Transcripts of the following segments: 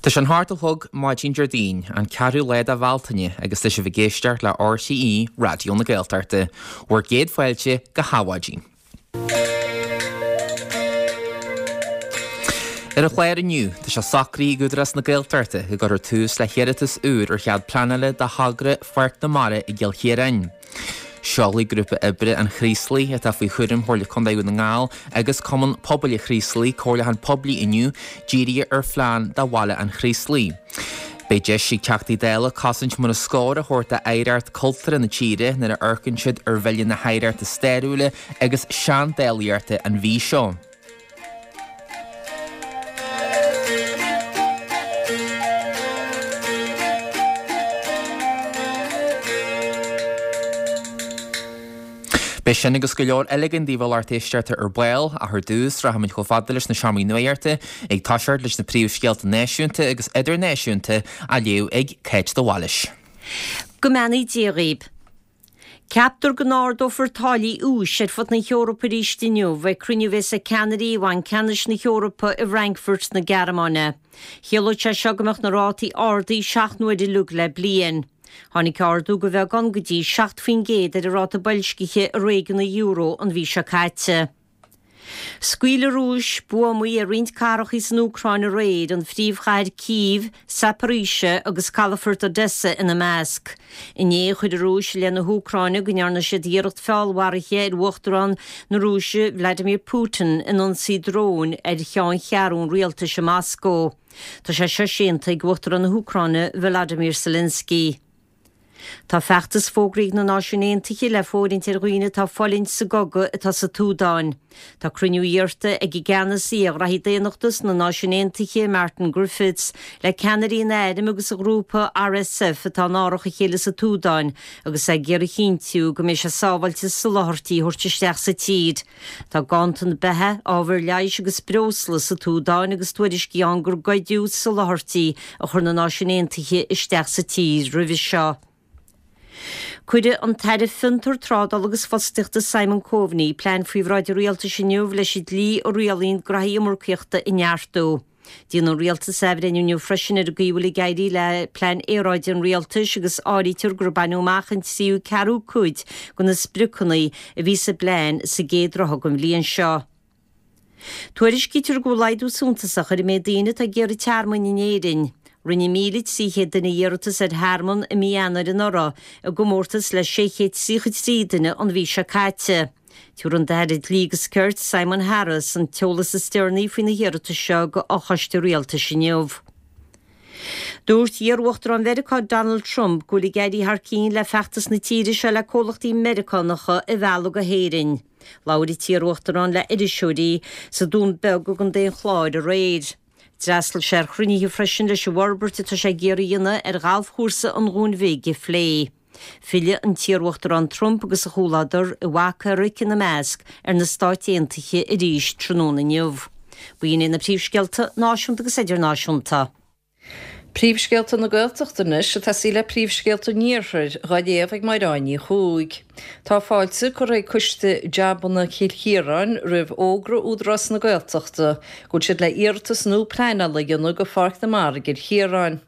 Tá sé an hocht a chlog maidin Déardaoin, an ceathrú lá de Bhealtaine agus tá sibh ag éisteacht le RTÉ Raidió na Gaeltachta. Bhur gcéad fáilte go hAdhmhaidin. Ar an chlár inniu, tá sé socraithe ag Údarás na Gaeltachta go gcuirfear tús le hiarratas úr ar chead pleanála do thogra Pháirc na Mara i gCill Chiaráin. Seolfaidh Grúpa Oibre an Chraoslaigh, atá faoi chúram Chomhairle Contae Dhún na nGall agus Cumann Pobail an Chraoslaigh, comhairliúchán poiblí inniu dírithe ar phlean do bhaile an Chraoslaigh. Beidh deis ag Teachtaí Dála cosaint mar is cóir a thabhairt d'oidhreacht cultúrtha na tíre nuair a amharcann siad ar Bhille na hOidhreachta Stairiúla agus Seandálaíochta an mhí seo. Beidh sin agus go leor eile againn daoibh a lucht éisteachta ar ball, ach ar dtús, rachaimid chomh fada leis na seomraí nuachta, ag toiseacht leis na príomhscéalta náisiúnta agus idirnáisiúnta á léamh ag Cáit de Bhailís. Go mbeannaí Dia dhaoib. Ceaptar go n-ardófar táillí úis ar fud na hEorpa arís inniu ag cruinniú a bheas ag ceannairí Bhanc Ceannais na hEorpa i bhFrankfurt na Gearmáine. Chiallódh sé seo go mbeadh na rátaí ardaithe 7 n-uaire uilig le bliain. Tháinig ardú de bheagán go dtí 7% ar an ráta boilscithe i réigiún an euro an mhí seo caite. Scaoil an Rúis buamaí ar roinnt cathracha san Úcráin aréir, an phríomhchathair Cív, Zaporizhzhia agus calafort Odessa ina measc. Inné, chuir an Rúis i leith na hÚcráine go ndearna siad iarracht feallmharaithe ar Uachtarán na Rúise Vladimir Putin in ionsaí dróin ar cheanncheathrú an rialtais i Moscó. Tá sé seo séanta ag Uachtarán na hÚcráine Volodymyr Zelensky. Tá feachtas fógraithe ag na Náisiúin Aontaithe le fóirithint ar dhaoine atá ag fulaingt sa gcogadh atá sa tSúdáin. Tá cruinniú iarrta ag an gceannasaí ar ghraithí daonnachta sna Náisiúin Aontaithe, Martin Griffiths, le ceannairí an airm agus an ghrúpa RSF atá in árach a chéile sa tSúdáin agus é ag iarraidh a chinntiú go mbeidh sé sábháilte soláthairtí a thabhairt isteach sa tír. Tá ganntan beatha, ábhair leighis agus breosla sa tSúdáin agus tuairiscí ann gur goideadh soláthairtí a chuir na Náisiúin Aontaithe isteach sa tír roimhe seo. Cuirfidh an tAire Fiontar, Trádála agus Fostaíochta Simon Coveney plean faoi bhráid an Rialtais inniu leis an dlí a rialaíonn graithí iomarcaíochta a neartú. Déanfaidh an Rialtas athbhreithniú inniu freisin ar an gcaoi a bhfuil ag éirí le plean aeráide an Rialtais agus áirítear gur baineadh amach an tríú ceathrú cuid de na spriocanna a bhí sa bplean sa gcéad ráithe den bhliain seo. Tuairiscítear go bhfuil laghdú suntasach ar an méid daoine atá ag iarraidh tearmainn in Éirinn. Rinne 1,300 duine iarratas ar thearmann i mí Eanáir anuraidh, i gcomórtas le 633 duine an mhí seo caite. Tabharfaidh an tAire Dlí agus Cirt, Simon Harris, an t-eolas is deireanaí faoi na hiarratais seo go fhochoiste rialtais inniu. Dúirt iar-uachtarán Mheiriceá Donald Trump go bhfuil ag éirí thar cinn le feachtas na tíre seo le comhlachtaí Meiriceánacha a mhealladh go hÉirinn. Labhair an t-iar-uachtarán le iriseoirí sa Dún Beag i gContae an Chláir aréir. D'fhreastail sé ar chruinnithe freisin leis an bhforbairt atá sé ag iarraidh a dhéanamh ar ghalfchúrsa an Dhúin Bhig a phlé. Fillfidh an t-iarUachtarán Trump agus a chomhluadar, a mhac Eric ina measc, ar na Stáit Aontaithe arís tráthnóna inniu. B'in iad na príomhscéalta náisiúnta agus idirnáisiúnta. Príomhscéalta na Gaeltachta anois ag tosaí le príomhscéalta an Iarthair, dhá léamh ag Máire Áine Ní Chuaig. Tá fáilte curtha ag Coiste Jabanna Chill Chiaráin roimh fhógra Údarás na Gaeltachta go bhfuil siad le iarratas nua pleanála a dhéanamh go Pháirc na Mara i gCill Chiaráin.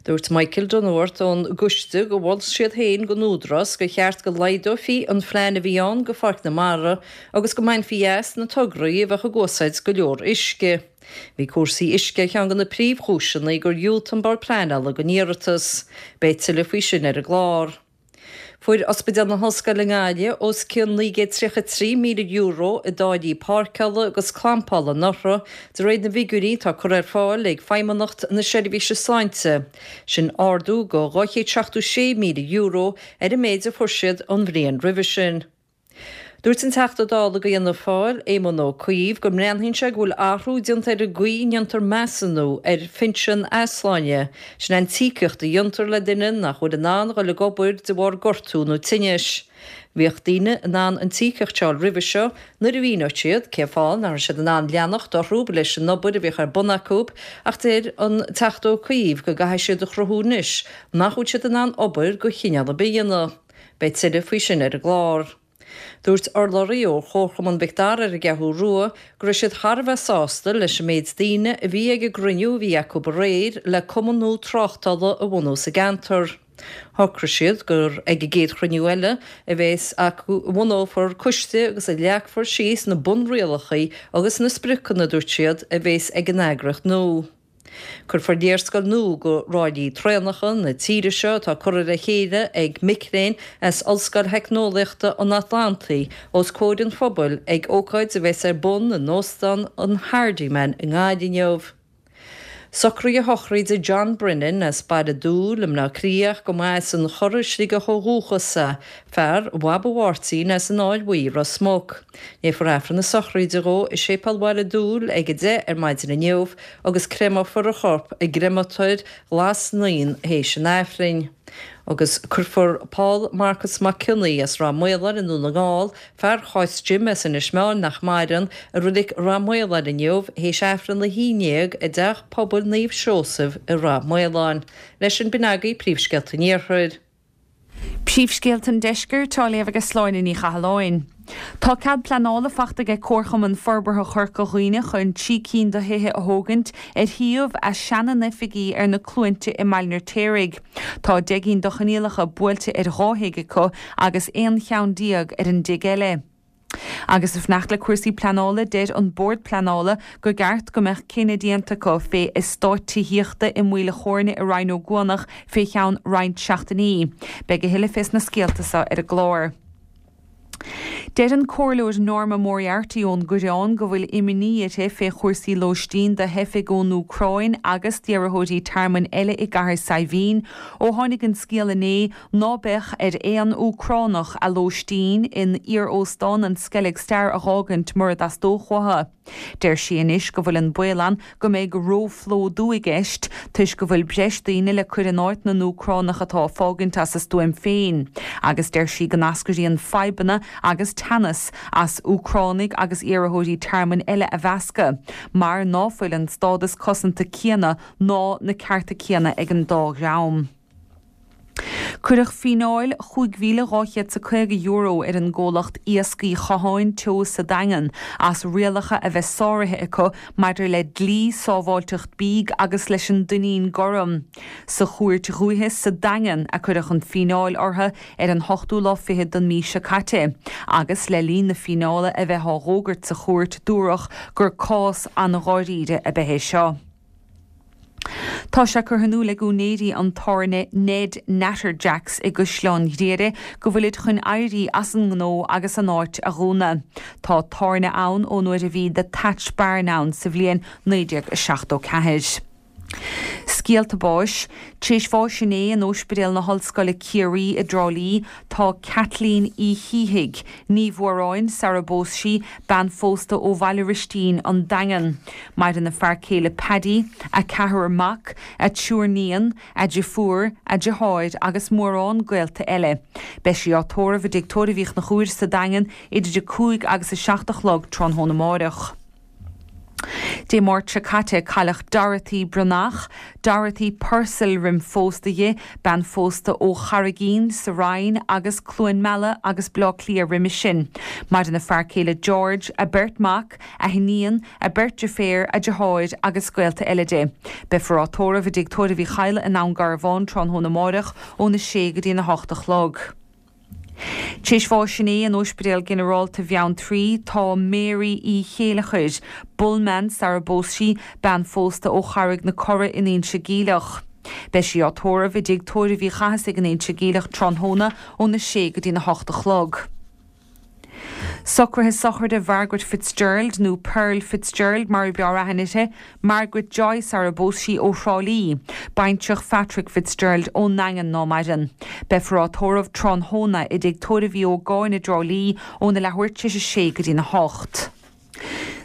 Dúirt Michael Dunworth ón gcoiste gur mhol siad féin don Údarás gur cheart go laghdófaí an phlean a bhí ann go Pháirc na Mara agus go mbainfí as na tograí a bheadh ag úsáid go leor uisce. Bhí cúrsaí uisce ar cheann de na príomhchúiseanna gur dhiúltaigh an Bord Pleanála don iarratas. Beidh tuilleadh faoi sin ar an gclár. Fuair Ospidéal na hOllscoile i nGaillimh os cionn €933,000 i dtáillí páirceála agus clampála anuraidh, de réir na bhfigiúirí atá curtha ar fáil ag Feidhmeannacht na Seirbhíse Sláinte. Sin ardú de €276,000 ar an méid a fuair siad an bhliain roimhe sin. Dúirt an Teachta Dála do Fhianna Fáil, Éamon Ó Cuív, go mbreathnaíonn sé go bhfuil athrú déanta ar an gcaoi a ndéantar measúnú ar phinsean easláine, sin an t-íocaíocht a dhéantar le duine nach bhfuil in ann dhul ag obair de bharr gortú nó tinnis. Bhíodh daoine in ann an t-íocaíocht seo a fháil roimhe seo nuair a mhíneodh siad cén fáth nach raibh siad in ann leanacht orthu leis an obair a bhíodh ar bun acu ach deir an Teachta Ó Cuív go gcaithfidh siad a chruthú anois nach bhfuil siad in ann obair de chineál ar bith a dhéanamh. Beidh tuilleadh faoi sin ar an gclár. Dúirt urlabhraí ó Chomharchumann Mhic Dara ar an gCeathrú Rua go raibh siad thar a bheith sásta leis an méid daoine a bhí ag an gcruinniú a bhí acu aréir le cumann nua tráchtála a bhunú sa gceantar. Shocraigh siad gur ag an gcéad chruinniú eile a bheas acu a bhunófar coiste agus a leagfar síos na bunrialacha agus na spriocanna, a dúirt siad, a bheas ag an eagraíocht nua. Cuirfear léarscáil nua de ráillí traenacha na tíre seo atá curtha le chéile ag mic léinn as Ollscoil Theicneolaíochta an Atlantaigh os comhair an phobail ag ócáid a bheas ar bun in Óstán an Hardiman i nGaillimh inniu. Socruithe sochraide John Brennan as Baile Dúill i mBleá Cliath ach go mba as an Chorr i Sligeach ó dhúchas é, fear Bhaba Mháirtín as an Fháil Bhuí, Ros Muc. Léifear Aifreann na sochraide dhó i Séipéal Bhaile Dúill ag 10 ar maidin inniu agus créamófar a chorp i gcréamatóir Ghlas Naíon théis an Aifrinn. Agus cuirfear Paul Marcus Mac Cionnaith as Ráth Maoláin i nDún na nGall, fear Cháit Jim as Inis Meáin nach maireann, i Reilig Rath Maoláin inniu théis Aifreann 11 i dTeach Pobail Naomh Seosamh i Rath Maoláin. Leis sin b'in agaibh príomhscéalta an Iarthair. Príomhscéalta an Deiscirt á léamh ag Sláine Ní Chathalláin. Tá cead pleanála fachta ag Comharchumann Forbartha Chorca Dhuibhne chun 3 cinn de thithe a thógaint ar shuíomh a seana-n-oifigí ar na Cluainte i mBaile an Fheirtéaraigh. Tá 10 gcinn de choinníollacha buailte ar dhá thigh acu agus 11 cheann ar an dtigh eile. Agus ag fanacht le cúrsaí pleanála, deir an Bord Pleanála gur gceart go mbeadh cinneadh déanta acu fé eastát tithíochta i Maoil a' Chóirne i Rinn Ó gCuanach fé cheann roinnt seachtainí. Beidh a thuilleadh fés na scéalta so ar an gclár. Deir an Comhairleoir Norma Moriarty ón gCoireán go bhfuil imní uirthi fé chúrsaí lóistín do theifigh ón Úcráin agus d'iarrthóirí tearmainn eile i gCathair Saidhbhín ó tháinig an scéal inné ná beadh ar aon Úcránach a lóistín in iar-óstán an Skellig Star a dh'fhágaint mura dteastódh uathu. Deir sí anois go bhfuil an baol ann go mbeidh róphlódú i gceist toisc go bhfuil breis daoine le cur in áit na nÚcránach atá ag fágaint as a stuaim féin agus deir sí go n-eascraíonn fadhbanna agus teannas as Úcránaigh agus iarrthóirí tearmainn eile a mheascadh mar ná fuil an stádas cosanta céanna ná na cearta céanna ag an dá dhream. Cuireadh fíneáil €5,250 ar an gcomhlacht Iascaigh Chatháin Teo sa Daingean as rialacha a bheith sáraithe acu maidir le dlí sábháilteacht bídh agus leis an dtuinnín gorm. Sa Chúirt Dhúiche sa Daingean a cuireadh an fíneáil orthu ar an hochtú lá fichead den mhí seo caite agus le linn na fíneála a bheith á dh'fhógairt sa chúirt dúradh gur cás an-dháiríre ab ea é seo. Tá sé curtha in iúl ag úinéirí an tábhairne Ned Natterjacks i gCaisleán Ghriaire go bhfuilid chun éirí as an ngnó agus an áit a dhúnadh. Tá tábhairne ann ón uair a bhí The Thatched Barn ann sa bhliain 1974. Scéalta báis. Tar éis bháis inné in Óispidéal na hOllscoile Ciarraí i dTrá Lí tá Kathleen Uí Shíthigh, Ní Mhóráin sara bpós sí, bean phósta ó Bhaile Ristín, An Daingean. Maireann a fear céile Paddy, a ceathrar mac, a triúr níon, a deirfiúr, a deartháir agus mórán gaolta eile. Beidh sí á tórramh i dTigh Tórraimh Uí Chonchúir sa Daingean idir a 5 agus a 7 a chlog tráthnóna amáireach. Dé Máirt seo caite cailleadh Dorothy Breathnach, Dorothy Purcell roim phósta di, bean phósta ó Charraigín sa Rinn agus Cluain Meala agus Bleá Cliath roimis sin. Maireann a fear céile George, a beirt mac, a hiníon, a beirt deirféar, a deartháir agus gaolta eile di. Beifear á tórramh i dTigh Tórraimh Uí Chadhla i nDún Garbhán tráthnóna amáireach óna sé go dtí an 8 a chlog. Tar éis bháis inné in Óispidéal Ginearálta Bheanntraí tá Mary Uí Chéileachair, Bullman sara bpós sí, bean phósta ó Charraig na Cora in Inse Geimhleach. Beidh sí á tórramh i dTigh Tórraimh Uí Chathasaigh in Inse Geimhleach tráthnóna óna sé go dtína hocht a chlog. Socruithe sochraide Mhargaret Fitzgerald, nó Pearl Fitzgerald mar ab fhearr aithne uirthi, Margaret Joyce sara bpós sí ó Thrá Lí, baintreach Phatrick Fitzgerald ón nDaingean ná maireann. Beifear á tórramh tráthnóna i dTigh Tórraimh Uí Ógáin i dTrá Lí óna leathuair tar éis a sé go dtína hocht.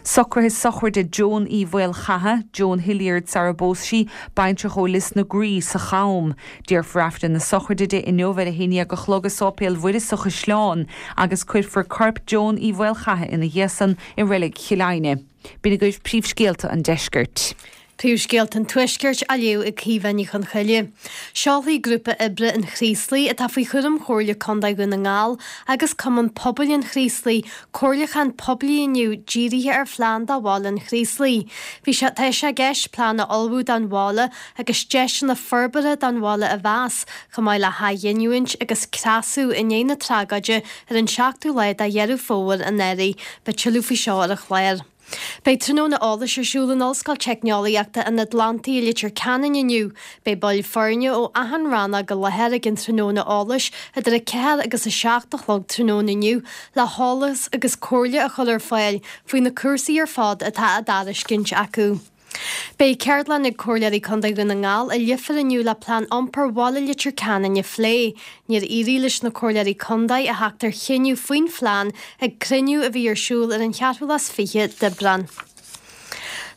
Socruithe sochraide Joan Uí Mhaolchatha, Joan Hilliard sara bpós sí, baintreach ó Lios na Graí sa Cham. Déarfar Aifreann na sochraide di inniu ar a haon dhéag a chlog i Sáipéal Mhuire sa Chaisleán agus cuirfear corp Joan Uí Mhaolchatha ina dhiaidh san i Reilig Chill Aidhne. B'in agaibh príomhscéalta an deiscirt. Príomhscéalta an Tuaiscirt á léamh ag Caoimhe Ní Chonchoille. Seolfaidh Grúpa Oibre an Chraoslaigh, atá faoi chúram Chomhairle Contae Dhún na nGall agus Cumann Pobail an Chraoslaigh, comhairliúchán poiblí inniu dírithe ar phlean do bhaile an Chraoslaigh. Bhí sé tá sé i gceist plean a ullmhú don bhaile agus deiseanna forbartha don bhaile a mheas, chomh maith le hathghiniúint agus creasadh i ndiaidh na tragóide ar an seachtú lá de Dheireadh Fómhair anuraidh. Beidh tuilleadh faoi seo ar an chlár. Beidh tráthnóna eolais ar siúl in Ollscoil Teicneolaíochta an Atlantaigh i Leitir Ceanainn inniu. Beidh baill foirne ó achan rannóg i láthair ag an tráthnóna eolais idir 4 agus 7 a chlog tráthnóna inniu le heolas agus comhairle a chur ar fáil faoi na cúrsaí ar fad atá á dtairiscint acu. Beidh ceardlann ag Comhairleoirí Contae Dhún na nGall i Leifear inniu le Plean Iompair Bhaile Leitir Ceanainn a phlé. Níor éirigh leis na Comhairleoirí Contae a theacht ar chinneadh faoin phlean ag cruinniú a bhí ar siúl ar an cheathrú lá is fiche d'Aibreán.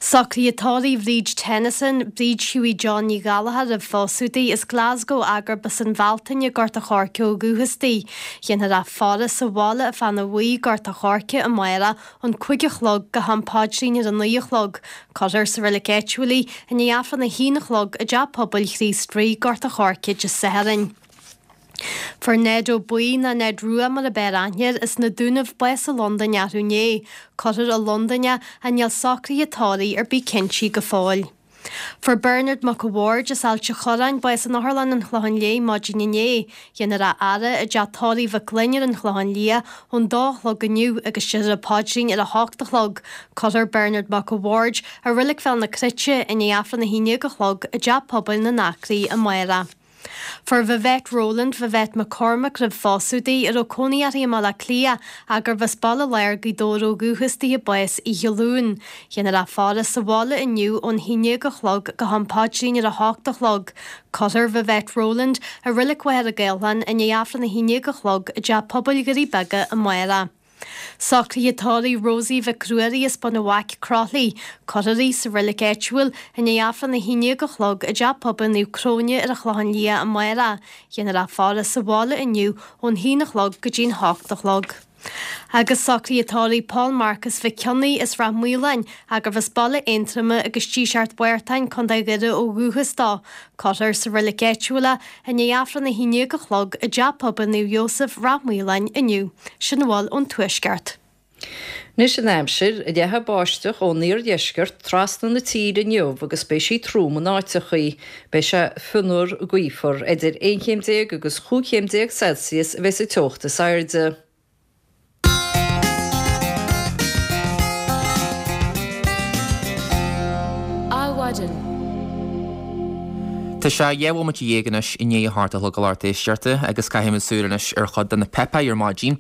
Socruithe tórraimh Bhríd Tennyson, Bríd Hughie John Ní Ghallchóir roimh phósadh di, as Glasgow agurb as an Bhealtaine, Gort a' Choirce ó dhúchas di. Déanfar í a faire sa bhaile i Fána Bhuí, Gort a' Choirce, amárach ón 5 a chlog go ham paidrín ar a 9 a chlog. Cuirfear sa reilig áitiúil í i ndiaidh Aifreann a haon a chlog i dTeach Pobail Chríost Rí, Gort a' Choirce, Dé Sathairn. Fuair Ned Ó Baoill, nó Ned Rua mar ab fhearr aithne air, as na Dúnaibh bás i Londain arú inné. Cuirfear i Londain é ach níl socruithe tórraimh ar bith cinntí go fóill. Fuair Bernard Mac a' Bhaird as Ailt a' Chorráin bás in Otharlann an Chlocháin Léith maidin inné. Déanfar a fhaire i dteach tórraimh Mhic Gloinn ar an Chlochán Liath ón dó a chlog inniu agus déarfar an paidrín ar a hocht a chlog. Cuirfear Bernard Mac a' Bhaird i Reilig Bhéal na Cruite i ndiaidh Aifreann a haon déag a chlog i dTeach Pobail na nAcraí amárach. Fuair Vivette Rowland, Vivette McCormack roimh phósadh di, a raibh cónaí uirthi i mBaile Átha Cliath ach gurbh as Baile Láir Gaoth Dobhair ó dhúchas di, bás oíche Luain. Déanfar í a faire sa bhaile inniu ón haon déag a chlog go ham paidrín ar a hocht a chlog. Cuirfear Vivette Rowland i Reilig Mhachaire Gathlán i ndiaidh Aifreann a haon déag a chlog i dTeach Pobail Dhoirí Beaga amárach. Socruithe tórraimh Rosie Mhic Ruairí as Bun an Bhaic, Croithlí. Cuirfear í sa reilig áitiúil i ndiaidh Aifreann a haon déag a chlog i dTeach Pobail Naomh Cróine ar an Chlochán Liath amárach. Déanfar í a faire sa bhaile inniu ón haon a chlog go dtí'n hocht a chlog. Agus socruithe tórraimh Paul Marcus Mhic Cionnaith as Rath Maoláin, gurbh as Baile Aontroma agus Díseart Mhártáin, Co. Dhoire ó dhúchas dó. Cuirfear sa reilig áitiúil é i ndiaidh Aifreann a haon déag a chlog i dTeach Pobail Naomh Iósaf, Rath Maoláin, inniu. Sin a bhfuil ón Tuaisceart. Anois an aimsir, Leathfaidh báisteach ón iardheisceart trasna na tíre inniu agus beidh sí trom in áiteachaí. Beidh sé fionnuar gaofar. Idir 11 chéim agus 15 chéim Celsius a bheidh sa teocht is airde. Adhmhaidin. Tá sé 12 bhomaite anois i ndiaidh a hocht a chlog a lucht éisteachta agus caithfimid súil anois ar chuid de na páipéir ar maidin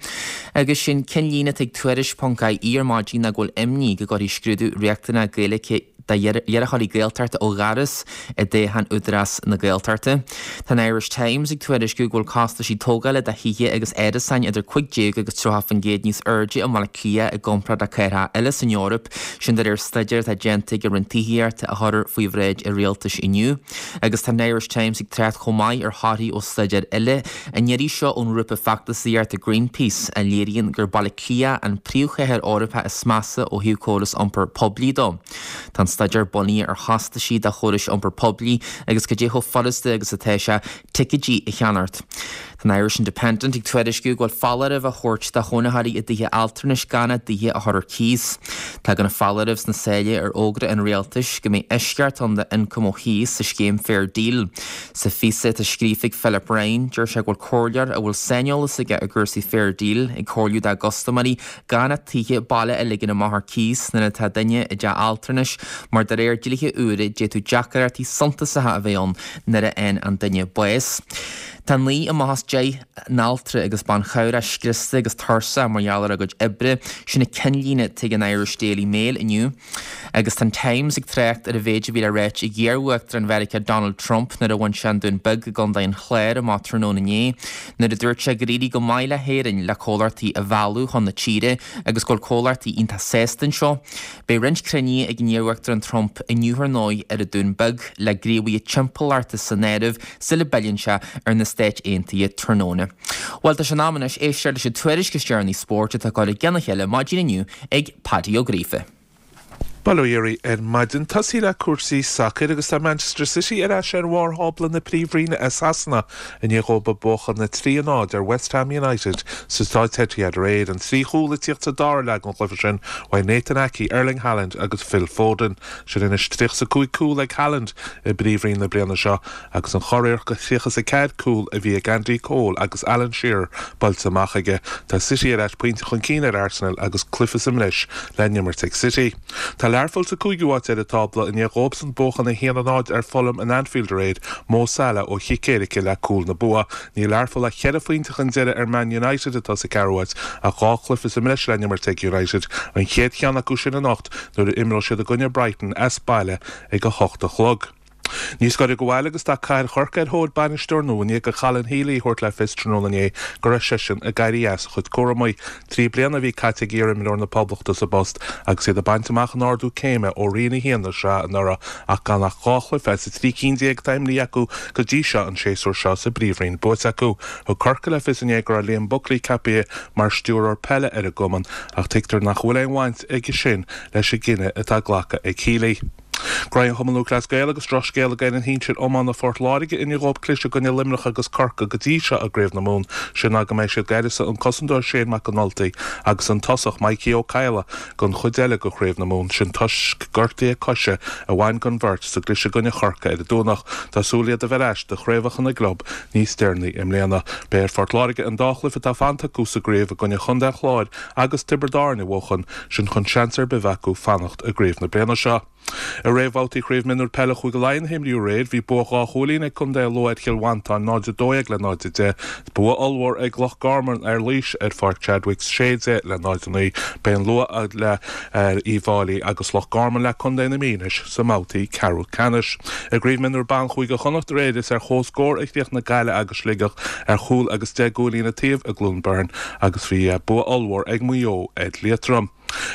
agus sin cinnlíne atá ag Tuairisc ponc ie ar maidin ná go bhfuil imní go gcuirfidh scrúdú riachtanach Gaeilge d'iarrthóirí Gaeltachta ó dhoras i dtoghchán Údarás na Gaeltachta. Tá an Irish Times ag tuairisciú go bhfuil costaisí tógála do thithe agus árasáin idir 15 agus 30% níos airde i mBaile Átha Cliath i gcomparáid le cathracha eile san Eoraip, sin de réir staidéir atá déanta ag an Roinn Tithíochta a chuirfear faoi bhráid an Rialtais inniu. Agus tá an Irish Times ag trácht chomh maith ar thorthaí ó staidéar eile, an iarraidh seo ón ngrúpa feachtasaíochta Greenpeace, a léiríonn gur Baile Átha Cliath an príomhchathair Eorpach is measa ó thaobh córas iompair poiblí dó. Tá an staidéar bunaithe ar chostaisí do chórais iompair poiblí agus cad é chomh furasta agus atá sé ticéidí a cheannacht. Tá an Irish Independent ag tuairisciú go bhfuil foláireamh á thabhairt do chónaitheoirí i dtithe altranais gan a dtithe a chur ar cíos. Tagann an foláireamh sna sáile ar fhógra an rialtais go mbeidh eisceacht ann d'ioncam ó chíos sa scéim Fair Deal. Sa phíosa atá scríofa ag Philip Ryan, deir sé go bhfuil comhairleoir a bhfuil saineolas aige i gcúrsaí Fair Deal ag comhairliú dá gcustaiméirí gan a dtithe baile a ligean amach ar cíos nuair atá duine i dteach altranais mar de réir dlíthe úra d'fhéadfadh deacrachtaí suntasacha a bheith ann nuair a fhaigheann an duine bás. Tá 9 amach as 10 n-altra agus ban chabhrach scriosta agus tuirseach mar gheall ar a gcuid oibre, sin an cinnlíne atá ag an Irish Daily Mail inniu. Agus tá an Times ag trácht ar an mhéid a bhí le ráit ag iar-uachtarán Mheiriceá Donald Trump nuair a bhain sé an Dún Beag i gContae an Chláir amach tráthnóna inné, nuair a dúirt sé gur éirigh go maith le hÉirinn le comhlachtaí a mhealladh chun na tíre agus go bhfuil comhlachtaí iontach sásta anseo. Beidh roinnt cruinnithe ag an iar-uachtarán Trump inniu ar ndóigh ar an Dún Beag, le gníomhaithe timpeallachta san áireamh, sula bpilleann sé ar na Stáit Aontaithe tráthnóna. Bhuel, tá sé in am anois éisteacht leis an tuairisc is deireanaí spóirt atá curtha i gcionn a chéile maidin inniu ag Paddy Ó Gríofa. Bail ó Dhia oraibh ar maidin. Tosaí le cúrsaí sacair agus tá Manchester City ar ais ar bharr thábla na Príomhroinne i Sasana i ndiaidh dhóibh buachan 3-0 ar West Ham United sa staid Etihad aréir. An trí chúl ag tíocht sa dara leath den chluiche sin uaidh Nathan Ake, Erling Haaland agus Phil Foden. Sin anois 35 cúl ag Haaland i bPríomhroinn na bliana seo agus an churiarracht de 34 cúl a bhí ag Andy Cole agus Alan Shearer buailte amach aige. Tá City ar ais pointe chun cinn ar Arsenal agus cluiche sa mbreis le n-imirt ag City. Tá Learpholl sa cúigiú háit ar an tábla i ndiaidh dhóibhsan buachan 1-0 ar Fulham in Anfield aréir, Mo Salah ó chic éirice le cúl na bua. Níl Learpholl ach cheithre phointe chun deiridh ar Man United atá sa ceathrú háit ach 2 chluiche sa mbreis le n-imirt ag United, an chéad cheann acu sin anocht nuair a imreoidh siad i gcoinne Brighton as baile ag a hocht a chlog. Níos gaire do bhaile agus tá Cathair Chorcaí ar thóir bainisteoir nua i ndiaidh do Colin Healy a thabhairt le fios tráthnóna inné go raibh seisean ag éirí as a chuid cúramaí. 3 bliana a bhí caite ag iarimreoir na Poblachta sa bpost agus iad ag baint amach an ardú céime ó Roinn 1 na sraithe anuraidh ach gan ach 2 chluiche as an 13 cinn atá imrithe acu go dtí seo an séasúr seo sa bPríomhroinn buaite acu. Thug Corcaigh le fios inné go raibh Liam Buckley ceaptha mar stiúrthóir peile ar an gcumann ach tuigtear nach bhfuil aon bhaint aige sin leis an gcinneadh atá glactha ag Healy. Graí an Chumainn Lúthchleas Gael agus drochscéal ag fhoireann shinsir iomána Phort Láirge i ndiaidh dhóibh cliseadh i gcoinne Luimneach agus Corcaigh go dtí seo i gCraobh na Mumhan, sin ná go mbeidh siad d'uireasa an cosantóir Shane Mac an Ultaigh agus an tosach Mikey Ó Cadhla don chuid eile de Chraobh na Mumhan, sin toisc gortuithe coise a bhain don bheirt sa gcliseadh i gcoinne Chorcaí ar an Domhnach. Tá súil iad a bheith ar ais do chraobhacha na gclub níos deireanaí i mbliana. Beidh ar Phort Láirge an dá chluiche atá fanta acu sa gcraobh i gcoinne Chontae an Chláir agus Tiobraid Árann a bhuachan, sin chun seans ar bith a bheith acu fanacht i gcraobh na bliana seo. I réamhbhabhtaí Chraobh Mionúr Peile Chúige Laighean a himríodh aréir, bhí bua 2 chúilín ag Contae Lú ar Chill Mhantáin, 0-12 le 0-10. Bua ollmhór ag Loch Garman ar Laois ar Pháirc Chadwicks, 16 le 0-9. Beidh an Lú le Uíbh Fhailí agus Loch Garman le Contae na Mí anois sa mbabhtaí ceathrú ceannais. I gCraobh Mionúr Ban Chúige Chonnacht aréir, is ar comhscór a chríochnaigh Gaillimh agus Sligeach ar chúl agus 10 gcúilín an taobh i gCluain Bheirn agus bhí bua ollmhór ag Maigh Eo ar Liatroim.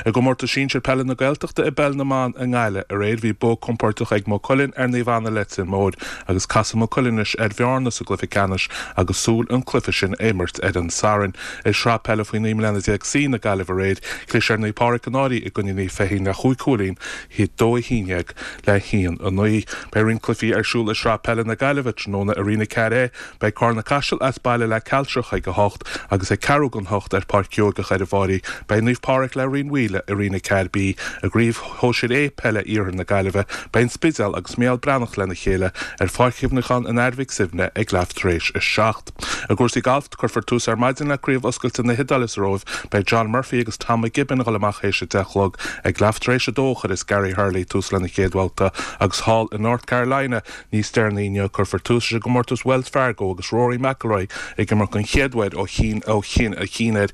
I gcomórtas sinsir peile na Gaeltachta i bPeil na mBan i nGaillimh aréir bhí bua compóirteach ag Maigh Cuilinn ar Naomh Anna Leitir Móir agus casfaidh Maigh Cuilinn anois ar Bhearna sa gcluiche ceannais agus súil an cluiche sin a imirt ar an Satharn. I Sraith Peile faoi 19 mbliana C na Gaillimhe aréir chlis ar Naomh Pádraig an Fhairche i gcoinne Naomh Feichín le chúig chúilín, 2-11 le 1-9. Beidh roinnt cluichí ar siúl i Sraith Peile na Gaillimhe tráthnóna i Roinn 4A. Beidh Carna Caiseal as baile le Cealtrach ag 8 agus ag ceathrú don hocht ar Pháirc Gheorgach ar an bhFairche. Beidh Naomh Pádraig le Rinn Mhaoile i Roinn 4B. I gCraobh Shóisir A Peile Iarthar na Gaillimhe, beidh An Spidéal agus Mícheál Breathnach lena chéile ar Pháirc Chuimhneacháin an Athar Mhic Suibhne ag leath tar éis a 7. I gcúrsaí gailf, cuirfear tús ar maidin le Craobh Oscailte na hIodáile sa Róimh. Beidh John Murphy agus Tom McGibbon ag dul amach théis a 10 a chlog. Ag leath tar éis a dó a chuireas Gary Hurley tús lena chéad bhabhta agus thall i North Carolina, Níos deireanaí inniu, cuirfear tús leis an gcomórtas Wells Fargo agus Rory McIlroy ag imirt den chéad uair ó chinn ó chinn a chinn air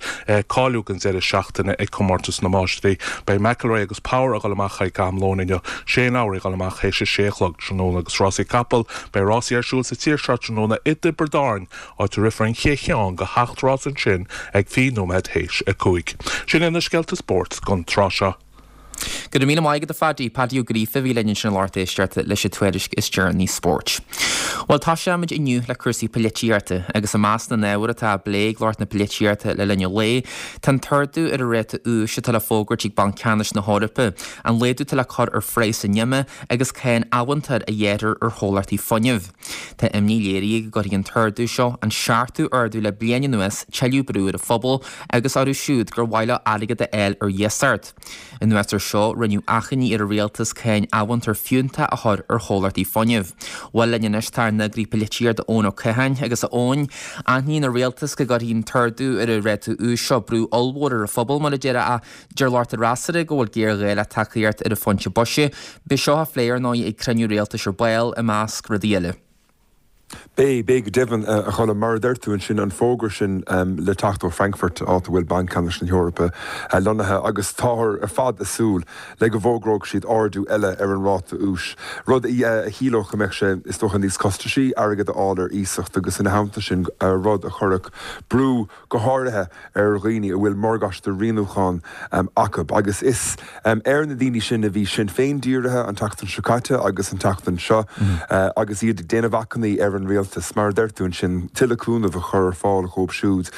cáiliú don deireadh seachtaine ag Comórtas na Máistrí. Beidh McIlroy agus Power ag dul amach ag am lóin inniu, Shane Lowry ag dul amach théis a sé a chlog tráthnóna agus rásaí capall. Beidh rásaí ar siúl sa tír seo tráthnóna i dTiobraid Árann, áit a rithfear an chéad cheann de sheacht rás ansin ag 20 nóiméad théis a 5. Sin iad na scéalta spóirt don tráth seo. Go raibh míle maith agat a Phaddy. Paddy Ó Gríofa a bhí linn ansin a lucht éisteachta leis an tuairisc is deireanaí spóirt. Bhuel, toiseoimid inniu le cúrsaí poilitíochta agus i measc na n-ábhar atá á bplé ag lucht na polaitíochta le linn an lae, tá an t-ardú ar an ráta úis atá le fógairt ag Banc Ceannais na hEorpa, an laghdú atá le cur ar phraghas an ime agus cáin amhantair a ghearrfar ar chomhlachtaí fuinnimh. Tá imní léirithe go gcuirfidh an t-ardú seo, an seachtú ardú le bliain anuas, tuilleadh brú ar an phobal agus orthu siúd gur mhaith leo airgead a fháil ar iasacht. Anuas air seo, rinneadh achainí ar an rialtas cáin amhantair fiúntach a chur ar chomhlachtaí fuinnimh. Bhuel linn anois tá ár n-eagraí polaitíochta Eoin Ó Catháin agus a Eoin, aithníonn an rialtas go gcuirfidh an t-ardú ar an ráta úis seo brú ollmhór ar an phobal mar a déarfá ach deir lucht an fhreasúra go bhfuil géarghá le tacaíocht ar an phunt boise. Beidh seo á phlé ar ndóigh ag cruinniú rialtais ar ball i measc rudaí eile. Beidh, beidh go deimhin, a Choilm. Mar a deir tú ansin, an fógra sin le teacht ó Frankfurt, áit a bhfuil Banc Ceannais na hEorpa lonnaithe, agus táthar ar fad ag súil le go bhfógróidh siad ardú eile ar an ráta úis, rud a chiallódh go mbeadh sé, is dócha, níos costaisí airgead a fháil ar iasacht agus ina theannta sin, rud a chuirfeadh brú, go háirithe ar dhaoine a bhfuil morgáiste rianúcháin acu. Agus is ar na daoine sin a bhí Sinn Féin dírithe an tseachtain seo caite agus an tseachtain seo agus iad ag déanamh achainí ar an. an Rialtas, mar a deir tú ansin, tuilleadh cúnaimh a chur ar fáil dhóibh siúd.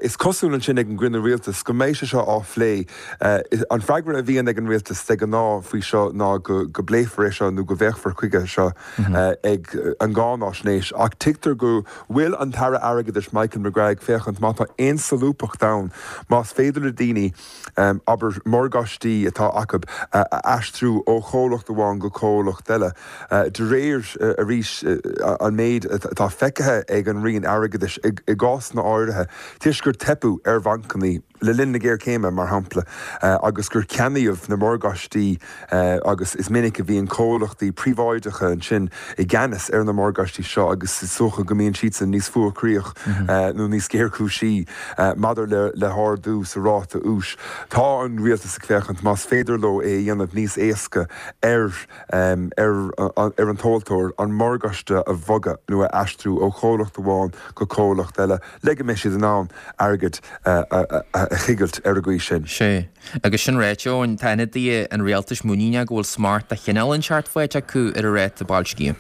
Is cosúil ansin ag an gcruinniú Rialtais go mbeidh sé seo á phlé. An freagra a bhíonn ag an Rialtas de ghnáth faoi seo ná go bpléifear é seo nó go bhféachfar chuige seo ag an gcáináisnéis ach tuigtear go bhfuil an tAire Airgeadais Michael McGrath ag féachaint má tá aon solúbthacht ann, más féidir le daoine, abair, morgáistí atá acu a aistriú ó chomhlacht amháin go comhlacht eile. De réir, arís, an méid atá feicthe ag an Roinn Airgeadais i gcásanna áirithe, toisc gur teipeadh ar bhancanna le linn na géarchéime, mar shampla, agus gur ceannaíodh na morgáistí agus is minic a bhíonn comhlachtaí príobháideacha ansin i gceannas ar na morgáistí seo agus is dócha go mbíonn siadsan níos fuarchroíoch nó níos géarchúisí maidir le hardú sa ráta úis. Tá an rialtas ag féachaint más féidir leo é a dhéanamh níos éasca ar ar an tomhaltóir an morgáiste a bhogadh nó a aistriú ó chomhlacht amháin go comhlacht eile le go mbeidh siad in ann airgead a choigilt ar an gcaoi sin. Sea. Agus sin ráite, Eoin, tá ionadaithe an rialtais muiníneach go bhfuil smacht de chineál inteacht faighte acu ar an ráta boilscithe.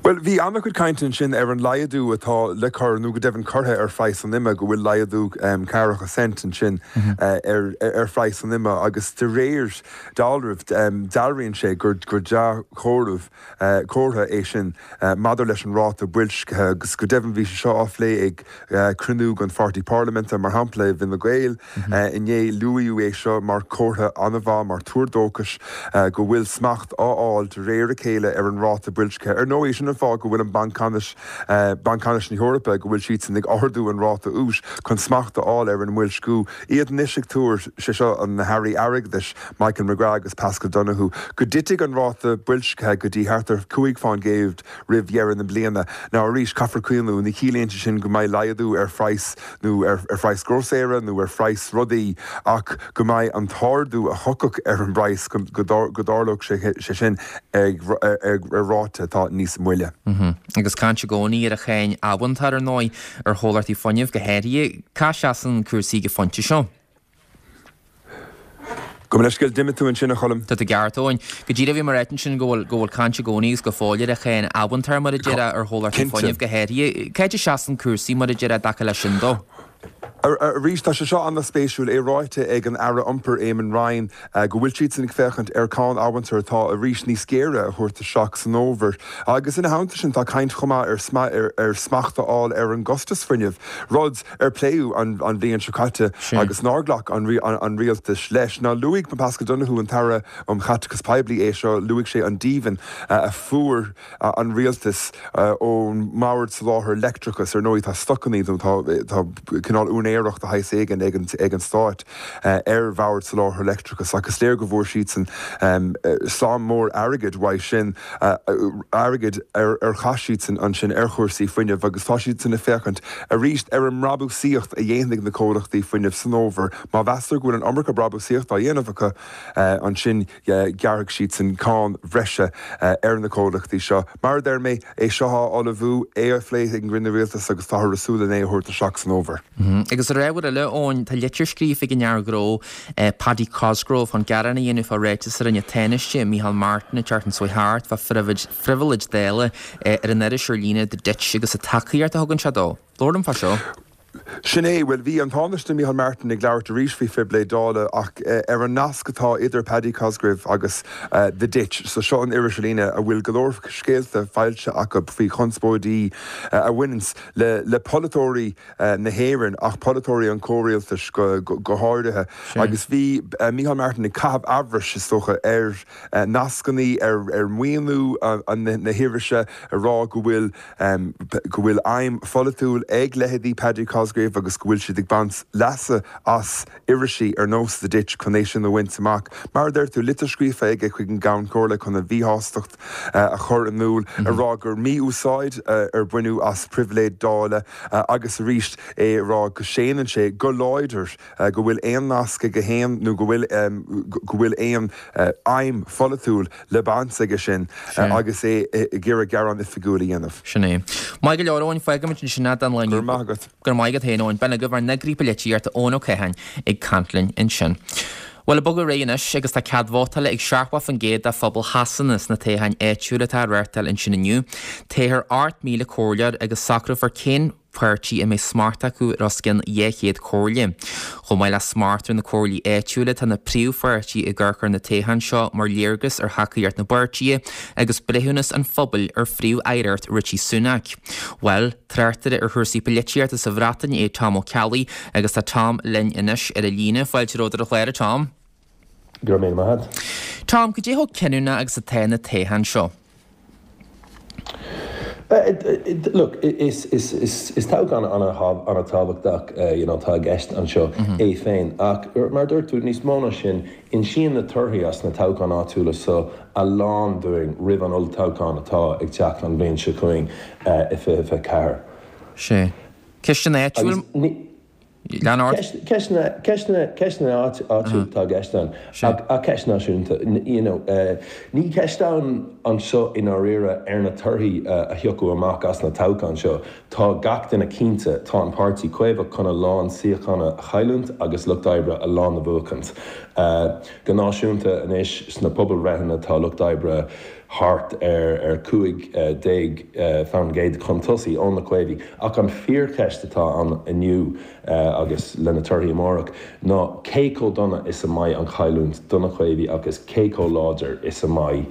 Bhuel, bhí an-chuid cainte ansin ar an laghdú atá le cur, nó go deimhin curtha, ar phraghas an ime, go bhfuil laghdú ceathracha cent ansin ar phraghas an ime agus de réir dealraimh, dealraíonn sé gur dea-chomhartha comhartha é sin maidir leis an ráta boilscithe agus go deimhin bhí sé seo á phlé ag cruinniú den pháirtí parlaiminte, mar shampla i bhFine Gael inné. Luaíodh é seo mar chomhartha an-mhaith, mar tuar dóchais go bhfuil smacht á fháil de réir a chéile ar an ráta boilscithe. Ar ndóigh, sin an fáth go bhfuil an Banc Ceannais, Banc Ceannais na hEorpa, go bhfuil siadsan ag ardú an ráta úis chun smacht a fháil ar an mboilsciú. Iad anois ag tuar, sé seo na hairí airgeadais, Michael McGrath agus Paschal Donohoe, go dtitfidh an ráta boilscithe go dtí thart ar 5% roimh dheireadh na bliana. Now arís, caithfear cuimhniú, ní chiallaíonn sé sin go mbeidh laghdú ar phraghas nó ar phraghas grósaera nó ar phraghas rudaí ach go mbeidh an t-ardú a thiocfadh ar an bpraghas, go dtarlódh sé sin ar ráta atá níos moille. Agus caint i gcónaí ar an cháin amhantair, ar ndóigh, ar chomhlachtaí fuinnimh go háirithe. Cá seasann cúrsaí ag an phointe seo? Gabh mo leithscéal, d'imigh tú ansin, a Choilm. Tá tú ceart, Eoin. Go díreach bhí mé ag ráit ansin go bhfuil, go bhfuil caint i gcónaí agus go fóill ar an cháin amhantair, mar a déarfá, ar chomhlachtaí fuinnimh go háirithe. Cá háit a seasann cúrsaí, mar a déarfá, i dtaca leis sin dó? Arís, tá sé seo an-spéisiúil, é ráite ag an Aire Iompair, Eamon Ryan, go bhfuil siadsan ag féachaint ar cháin amhantair atá arís níos géire a thabhairt isteach san fhómhar. Agus ina theannta sin, tá caint chomh maith ar smacht a fháil ar an gcostas fuinnimh, rud ar pléadh an bhliain seo caite agus nár ghlac an rialtas leis. Now luaigh Paschal Donohoe, an tAire um Chaiteachas Poiblí, é seo, luaigh sé an díbhinn a fuair an rialtas ón mBord Soláthair Leictreachais. Ar ndóigh tá stocanna nó tá cineál úinéireacht de shaghas éigin ag an Stát ar Bhord Soláthair Leictreachais ach is léir go bhfuair siadsan slám mór airgid uaidh sin. airgead ar chaith siadsan ansin ar chúrsaí fuinnimh agus tá siadsan ag féachaint arís ar an mbrabúsaíocht a dhéanfaidh na comhlachtaí fuinnimh san fhómhar. Má mheastar go bhfuil an iomarca brabúsaíocht á dhéanamh acu, ansin gearrfaidh siadsan cáin bhreise ar na comhlachtaí seo. Mar a deir mé, é seo á ullmhú, é á phlé ag an gcruinniú rialtais agus táthar ag súil len é a thabhairt isteach san fhómhar. Agus ar ábhar eile, Eoin, tá litir scríofa ag an fhear gnó, Paddy Cosgrave chun gearán a dhéanamh fá ráiteas a rinne an Tánaiste, Micheál Martin, an tseachtain seo thart fá phribhléid Dála ar an iris ar líne The Ditch agus an tacaíocht a thugann sé dó. Labhair liom fá seo. Sin é. Bhuel, bhí an Tánaiste Micheál Martin ag labhairt arís faoi phribhléid Dála ach ar an nasc atá idir Paddy Cosgrave agus The Ditch. So seo an iris ar líne a bhfuil go leor scéalta foilsithe acu faoi chonspóidí a bhaineanns le polaiteoirí na hÉireann, ach polaiteoirí an chomhrialtais go háirithe. Agus bhí Micheál Martin ag caitheamh amhrais, is dócha, ar nascannaí, ar mhaoiniú na hirise, ag rá go bhfuil go bhfuil aidhm pholaitiúil ag leithéidí Paddy Cosgrave agus go bhfuil siad ag baint leasa as irisí ar nós The Ditch chun é sin a bhaint amach. Mar a deir tú, litir scríofa aige chuig an gCeann Comhairle chun a mhíshástacht a chur in iúl, ag rá gur mí-úsáid ar baineadh as pribhléid Dála agus arís é ag rá go séanann sé go láidir go bhfuil aon nasc aige féin nó go bhfuil go bhfuil aon aidhm pholaitiúil le baint aige sin agus é ag iarraidh gearán oifigiúil a dhéanamh. Sin é. Maith go leor, Eoin, fágfaimid ansin é don lá inniu. Go raibh maith agat. Go raibh maith agat féin, Eoin. B'in agaibh ár n-eagraí polaitíochta, Eoin Ó Catháin, ag caint linn ansin. Bhuel, ag bogadh ar aghaidh anois agus tá cead vótála ag 70% de phobal Shasana sna toghcháin áitiúla atá á reáchtáil ansin inniu. Toghfar 8,000 comhairleoir agus socrófar cén páirtí a mbeidh smacht acu ar os cionn 200 comhairle. Chomh maith le smacht ar na comhairlí áitiúla, tá na príomhpháirtithe ag amharc ar na toghcháin seo mar léargas ar thacaíocht na bpáirtithe agus breithiúnas an phobail ar phríomh-aireacht Rishi Sunak. Bhuel, Tráchtaire ar chúrsaí polaitíochta sa Bhreatain é Tom Ó Ceallaigh agus tá Tom linn anois ar an líne. Fáilte romhat ar an chlár, a Tom. Go raibh míle maith agat. Tom, cad é chomh cinniúnach agus atá na toghcháin seo? Look, is toghchán an-tábhachtach you know atá i gceist anseo é féin ach mar a dúirt tú, níos mó ná sin, Insíonn na torthaí as na toghcháin áitiúla seo a lán dúinn roimh an olltoghchán atá ag teacht an bhliain seo chugainn i 2024. Sea. Ceisteanna áitiúil. Lean ort. Ceisteanna, ceisteanna, ceisteanna áitiúil atá i gceist ann ach ceist náisiúnta. You know, ní ceist ann anseo i ndáiríre ar na torthaí a thiocfadh amach as na toghcháin seo. Tá gach duine cinnte, tá an Páirtí Caomhach chun a lán suíochán a chailliúint agus Lucht Oibre a lán a bhuachaint. Go náisiúnta anois, sna pobalbhreitheanna tá Lucht Oibre thart ar 15% chun tosaigh ó na Caomhaigh. Ach an fíorcheist atá ann inniu agus le na torthaí amárach ná cé chomh dona is a mbeidh an chailliúint do na Caomhaigh agus cé chomh láidir is a mbeidh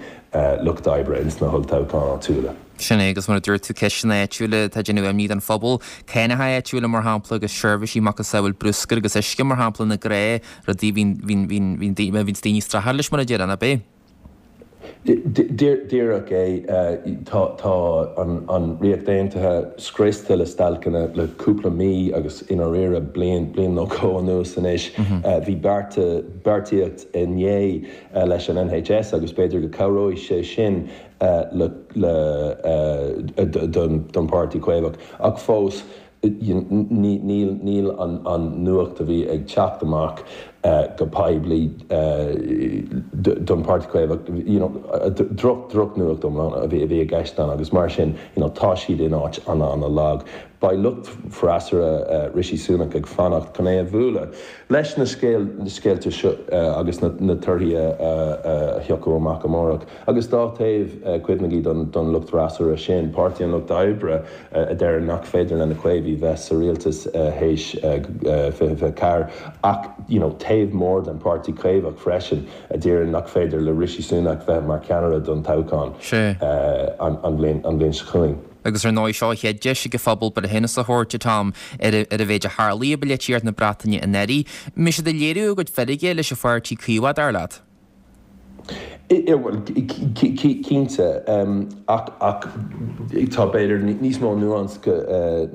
Lucht Oibre ins na holltoghcháin áitiúla. Sin é, agus mar a dúirt tú, ceisteanna áitiúla atá ag déanamh imní don phobal. Cánacha áitiúla, mar shampla, agus seirbhísí macasamhail bruscair agus uisce, mar shampla, na gnáthrudaí a bhíonn, bhíonn, bhíonn, bhíonn bhíonns daoine ag streachailt leis, mar a déarfá, ab é? Díreach é. Tá, tá an, an Ríocht Aontaithe scriosta le stailceanna le cúpla mí agus i ndáiríre bliain, bliain nó dhó anuas anois. Bhí bearta, beartaíocht inné leis an NHS agus b'fhéidir go cabhróidh sé sin le don Páirtí Caomhach ach fós níl an nuacht a bhí ag teacht amach go poiblí don Páirtí Caomhach, you know, droch, drochnuacht iomlán a bhí i gceist ann agus mar sin, you know, tá siad in áit an-an-lag. Beidh lucht freasúra Rishi Sunak ag fanacht chun é a bhualadh leis na scéalta seo agus na torthaí a thiocfadh amach amárach. Agus dá thaobh, cuimhnigí don lucht freasúra sin, Páirtí an Lucht Oibre, a deireann nach féidir le na Caomhaigh bheith sa rialtas théis 2024, ach you know taobh mór den Páirtí Caomhach freisin a deireann nach féidir le Rishi Sunak bheith mar cheannaire don toghchán an bhliain seo chugainn. Agus ar ndóigh, seo an chéad deis ag an phobal breithiúnas a thabhairt, a Tom, ar an mhéid a tharlaigh i bpolaitíocht na Breataine anuraidh. An mbeidh siad ag léiriú a gcuid feirge leis an Pháirtí Caomhach, dar leat? Bhuel, cinnte, ach tá, b'fhéidir, níos mó nuance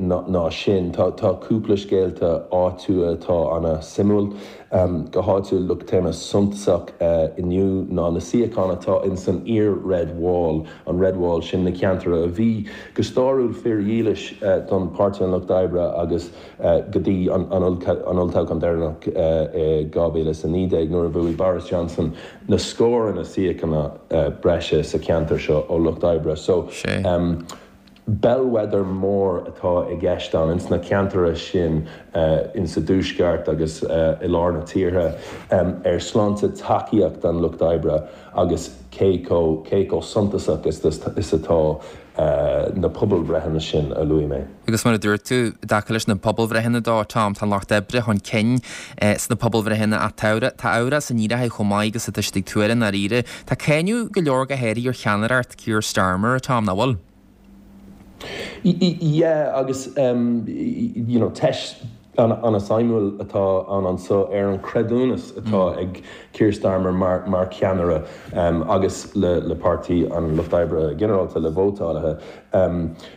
ná sin. Tá cúpla scéalta áitiúla atá ana-suimiúil. Go háitiúil, look, téama suntasach inniu ná na suíocháin atá in san iar-Red Wall, an Red Wall, sin na ceantair a bhí go stáiriúil fíordhílis don Páirtí an Lucht Oibre agus go dtí an olltoghchán deireanach i 2019 nuair a bhuaigh Boris Johnson na scóranna suíochán breise sa cheantar seo ó Lucht Oibre. So, bellwether mór atá i gceist ann ins na ceantair sin insa dtuaisceart agus i lár na tíre ar sláinte tacaíocht an Lucht Oibre agus cé chomh suntasach is atá na pobalbhreitheanna sin a luaigh mé. Agus mar a dúirt tú, i dtaca leis na pobalbhreitheanna dó, Tom, tá an Lucht Oibre chun cinn sna pobalbhreitheanna ach tá amhras an fhírinne chomh maith agus atá siad ag tuar i ndáiríre. Tá cáineadh go leor go háirithe ar cheannaireacht Keir Starmer, a Tom, nach bhfuil? Yeah, agus you know, teist an-suimiúil atá ann anseo ar an chreidiúnas atá ag Keir Starmer mar cheannaire agus le Páirtí an Lucht Oibre ginearálta, le vótálaithe.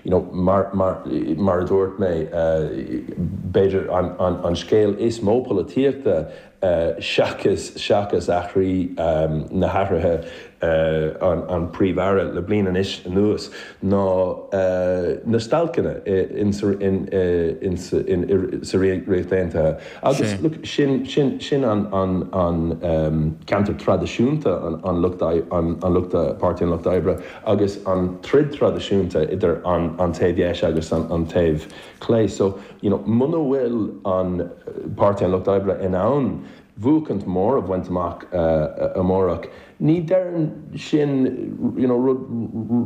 You know, mar a dúirt mé, b'fhéidir an scéal is mó polaitíochta seachas seachas athraí na hathruithe an Príomh-Aire le bliain anois anuas ná na stailceanna sa Ríocht Aontaithe. Agus look sin sin sin an an ceantar traidisiúnta an lucht an lucht Páirtí an Lucht Oibre agus an troid traidisiúnta idir an an taobh dheis agus an an taobh clé. So you know muna bhfuil an Páirtí an Lucht Oibre in ann. bhuachaint mór a bhaint amach amárach, ní deireann sin you know rud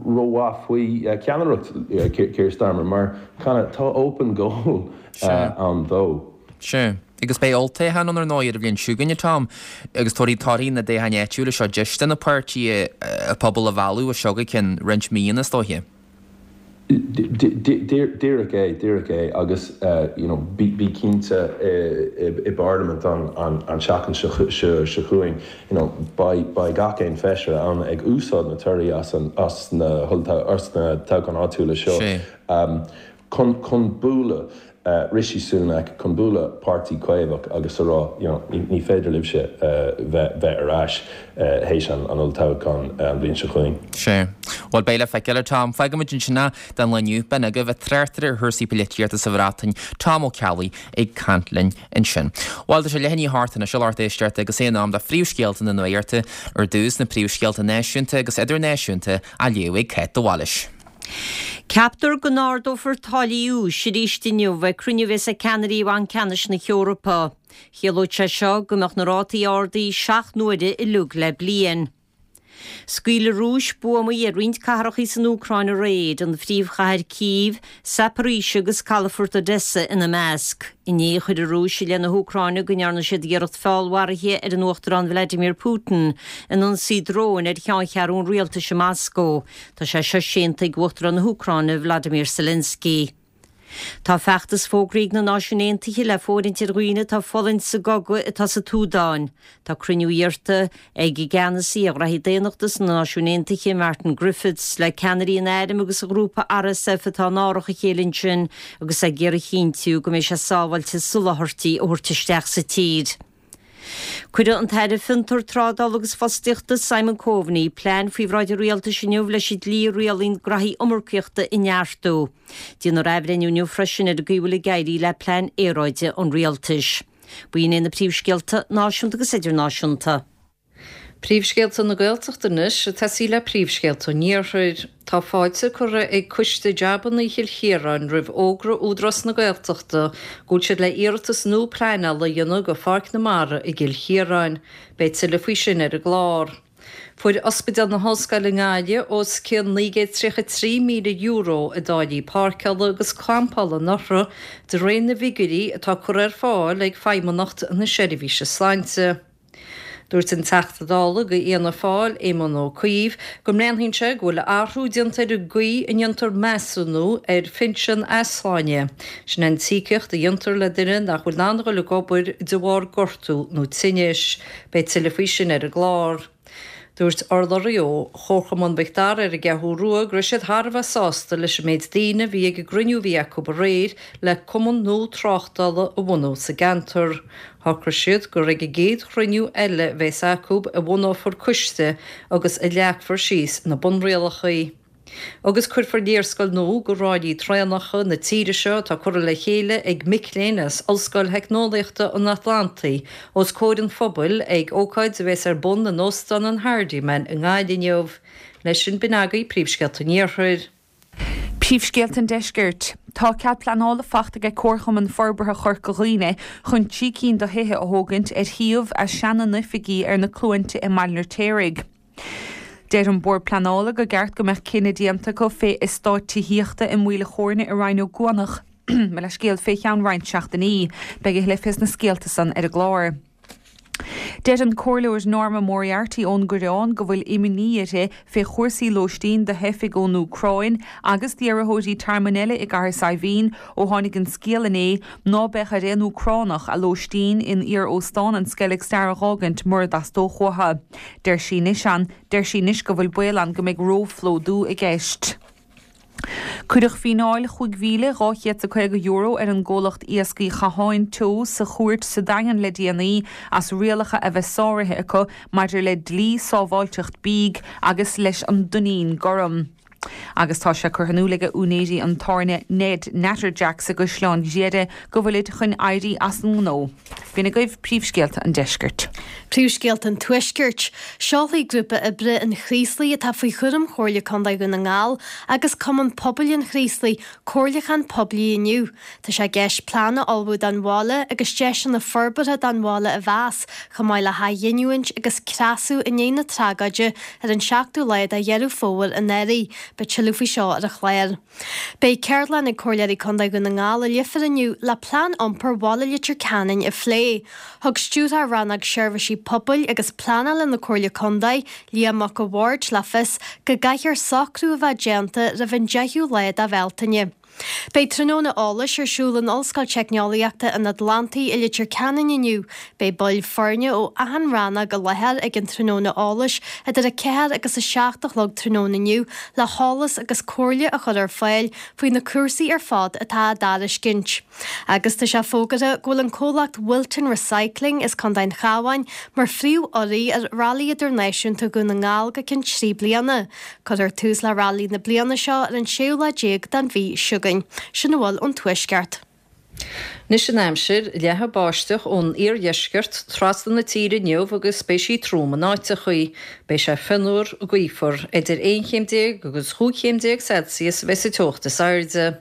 rómhaith faoi cheannaireacht Keir Starmer mar kind of tá open goal ann dó. Sea. Agus beidh olltoghchán ann ar ndóigh ar an bhliain seo chugainn, a Tom, agus tabharfaidh torthaí na dtoghcháin áitiúla seo deis do na páirtithe a pobal a mhealladh as seo go ceann roinnt míonna is dóiche. Díreach é, díreach é agus you know bí cinnte i bParlaimint an tseachtain seo chugainn you know beidh gach aon feisire ann ag úsáid na torthaí as as na toghcháin áitiúla seo chun bualadh Rishi Sunak chun bualadh Páirtí Caomhach agus a rá you know ní féidir libhse bheith ar ais théis an olltoghcháin an bhliain seo chugainn. Sea. Bhuel, beidh le feiceáil, a Tom. Fágfaimid ansin é don lá inniu. B'in agaibh an tráchtaire ar chúrsaí polaitíochta sa Bhreatain, Tom Ó Ceallaigh, ag caint linn ansin. Bhuel, tá sé leath i ndiaidh a hocht anois, a lucht éisteachta, agus é in am do phríomhscéalta na nuachta, ar dtús na príomhscéalta náisiúnta agus idirnáisiúnta á léamh ag Cáit de Bhailís. Ceaptar go n-ardófar táillí úis arís inniu ag cruinniú a bheas ag ceannairí Bhanc Ceannais na hEorpa. Chiallódh sé seo go mbeadh na rátaí ardaithe 7 n-uaire uilig le bliain. Scaoil an Rúis buamaí ar roinnt cathrachaí san Úcráin aréir, an phríomhchathair Cív, Zaporizhzhia agus calafort Odessa ina measc. Inné chuir an Rúis i leith na hÚcráine go ndearna siad iarracht feallmharaithe ar an Uachtarán Vladimir Putin in ionsaí dróin ar cheanncheathrú an rialtais i Moscó. Tá sé seo séanta ag Uachtarán na hÚcráine Vladimir Zelensky. Tá feachtas fógraithe ag na Náisiúin Aontaithe le fóirithint ar dhaoine atá ag fulaingt sa gcogadh atá sa tSúdáin. Tá cruinniú iarrta ag an gceannasaí ar ghraithí daonnachta sna Náisiúin Aontaithe, Martin Griffiths, le ceannairí an airm agus an ghrúpa RSF atá in árach a chéile ansin agus ag iarraidh a chinntiú go mbeidh sé sábháilte soláthairtí a thabhairt isteach sa tír. Cuirfidh an tAire Fiontar, Trádála agus Fostaíochta, Simon Coveney, plean faoi bhráid an Rialtais inniu leis an dlí a rialaíonn graithí iomarcaíochta a neartú. Déanfar athbhreithniú inniu freisin ar an gcaoi a bhfuil ag éirí le plean aeráide an Rialtais. B'in iad na príomhscéalta náisiúnta agus idirnáisiúnta. Príomhscéalta na Gaeltachta anois, ag tosaí le príomhscéalta an Iarthair. Tá fáilte curtha ag Coiste Jabanna Chill Chiaráin roimh fhógra Údarás na Gaeltachta go bhfuil siad le iarratas nua pleanála a dhéanamh go Pháirc na Mara i gCill Chiaráin. Beidh tuilleadh faoi sin ar an gclár. Fuair Ospidéal na hOllscoile i nGaillimh os cionn €933,000 i dtáillí páirceála agus campála anuraidh de réir na bhfigiúirí atá curtha ar fáil ag Feidhmeannacht na Seirbhíse Sláinte. Dúirt an Teachta Dála do Fhianna Fáil, Éamon Ó Cuív, go mbreathnaíonn sé go bhfuil athrú déanta ar an gcaoi a ndéantar measúnú ar phinsean easláine, sin an t-íocaíocht a dhéantar le duine nach bhfuil in ann a dhul ag obair de bharr gortú nó tinnis. Beidh tuilleadh faoi sin ar an gclár. Dúirt urlabhraí ó Chomharchumann Mhic Dara ar an gCeathrú Rua go raibh siad thar a bheith sásta leis an méid daoine a bhí ag an gcruinniú a bhí acu aréir le cumann nua tráchtála a bhunú sa gceantar. Shocraigh siad gur ag an gcéad chruinniú eile a bheas acu a bhunófar coiste agus a leagfar síos na bunrialacha. Agus cuirfear léarscáil nua de ráillí traenacha na tíre seo atá curtha le chéile ag mic léinn as Ollscoil Theicneolaíochta an Atlantaigh os comhair an phobail ag ócáid a bheas ar bun in Óstán an Hardiman i nGaillimh inniu. Leis sin, b'in agaibh príomhscéalta an Iarthair. Príomhscéalta an Deiscirt. Tá cead pleanála fachta ag Comharchumann Forbartha Chorca Dhuibhne chun 3 cinn de thithe a thógaint ar shuíomh a seana-n-oifigí ar na Cluainte i mBaile an Fheirtéaraigh. Deir an Bord Pleanála go gceart go mbeadh cinneadh déanta acu fé eastát tithíochta i Maoil a' Chóirne i Rinn Ó gCuanach. Mo leithscéal, fé cheann roinnt seachtainí. Beidh a thuilleadh fés na scéalta san ar an gclár. Deir an Comhairleoir Norma Moriarty ón gCoireán go bhfuil imní uirthi fé chúrsaí lóistín do theifigh ón Úcráin agus d'iarrthóirí tearmainn eile i gCathair Saidhbhín ó tháinig an scéal inné ná beadh ar aon Úcránach a lóistín in iar-óstán an Skellig Star a dh'fhágaint mura dteastódh uathu. Deir sí anois an, deir sí anois go bhfuil baol ann go mbeidh róphlódú i gceist. Cuireadh fíneáil €5,250 ar an gcomhlacht Iascaigh Chatháin Teo sa chúirt sa Daingean le déanaí as rialacha a bheith sáraithe acu maidir le dlí sábháilteacht bídh agus leis an dtuinnín gorm. Agus tá sé curtha in iúl ag úinéirí an tábhairne Ned Natterjacks i gCaisleán Ghriaire go bhfuilid chun éirí as an ngnó. B'in agaibh príomhscéalta an deiscirt. Príomhscéalta an Tuaiscirt. Seolfaidh grúpa oibre an Chraoslaigh atá faoi chúram Chomhairle Contae Dhún na nGall agus Cumann Pobail an Chraoslaigh comhairliúchán poiblí inniu. Tá sé i gceist plean a ullmhú don bhaile agus deiseanna forbartha don bhaile a mheas, chomh maith le hathghiniúint agus creasadh i ndiaidh na tragóide ar an seachtú lá de Dheireadh Fómhair anuraidh. Beidh tuilleadh faoi seo ar an chlár. Beidh ceardlann ag Comhairleoirí Contae Dhún na nGall i Leifear inniu le Plean Iompair Bhaile Leitir Ceanainn a phlé. Thug Stiúrthóir Rannóg Seirbhísí Pobail agus Pleanála na Comhairle Contae, Liam Mac a' Bhaird le fios go gcaithfear socrú a bheith déanta roimh an 10ú lá de Bhealtaine. Beidh tráthnóna eolais ar siúl in Ollscoil Teicneolaíochta an Atlantaigh i Leitir Ceanainn inniu. Beidh baill foirne ó achan rannóg i láthair ag an tráthnóna eolais idir 4 agus 7 a chlog tráthnóna inniu le heolas agus comhairle a chur ar fáil faoi na cúrsaí ar fad atá á dtairiscint. Agus tá sé fógartha go bhfuil an comhlacht Wilton Recycling as Contae an Chabháin mar phríomh-urraí ar Railí Idirnáisiúnta Dhún na nGall go ceann 3 bliana. Cuirfear tús le railí na bliana seo ar an séú lá déag den mhí seo chugainn. Sin a bhfuil ón Tuaisceart. Anois an aimsir, Leathfaidh báisteach ón iardheisceart trasna na tíre inniu agus beidh sí trom in áiteachaí. Beidh sé fionnuar, gaofar. Idir 11 chéim agus 15 chéim Celsius a bheidh sa teocht is airde.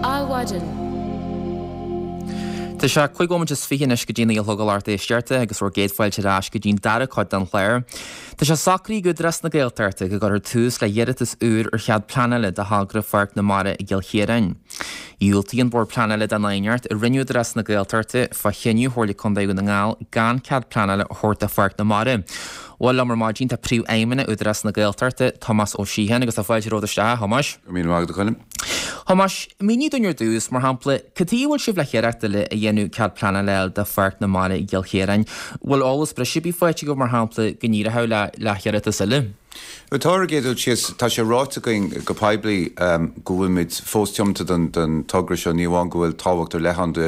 Adhmhaidin. Tá sé 25 bhomaite anois go dtí a 9 a chlog a lucht éisteachta agus bhur gcéad fáilte ar ais go dtí'n dara cuid den chlár. Tá sé socraithe ag Údarás na Gaeltachta go gcuirfear tús le hiarratas úr ar chead pleanála do thogra Pháirc na Mara i gCill Chiaráin. Dhiúltaigh an Bord Pleanála don aighneacht a rinne Údarás na Gaeltachta fá chinneadh Chomhairle Contae Dhún na nGall gan cead pleanála a thabhairt do Pháirc na Mara. Bhuel, liom ar maidin tá Príomhfheidhmeannach Údarás na Gaeltachta, Tomás Ó Síocháin, agus tá fáilte romhat isteach, a Thomáis. Go raibh míle maith agat, a Choilm. Thomáis, mínigh dúinn ar dtús, mar shampla, cad chuige a bhfuil sibh le hiarracht eile a dhéanamh cead pleanála a fháil do Pháirc na Mara i gCill Chiaráin? Bhfuil eolas breise ar bith faighte agaibh, mar shampla, go n-éireodh le le hiarratas eile? Bhuel, tá ar an gcéad dul síos, tá sé ráite againn go poiblí go bhfuilimid fós tiomanta don don togra seo, ní amháin go bhfuil tábhacht ar leith ann do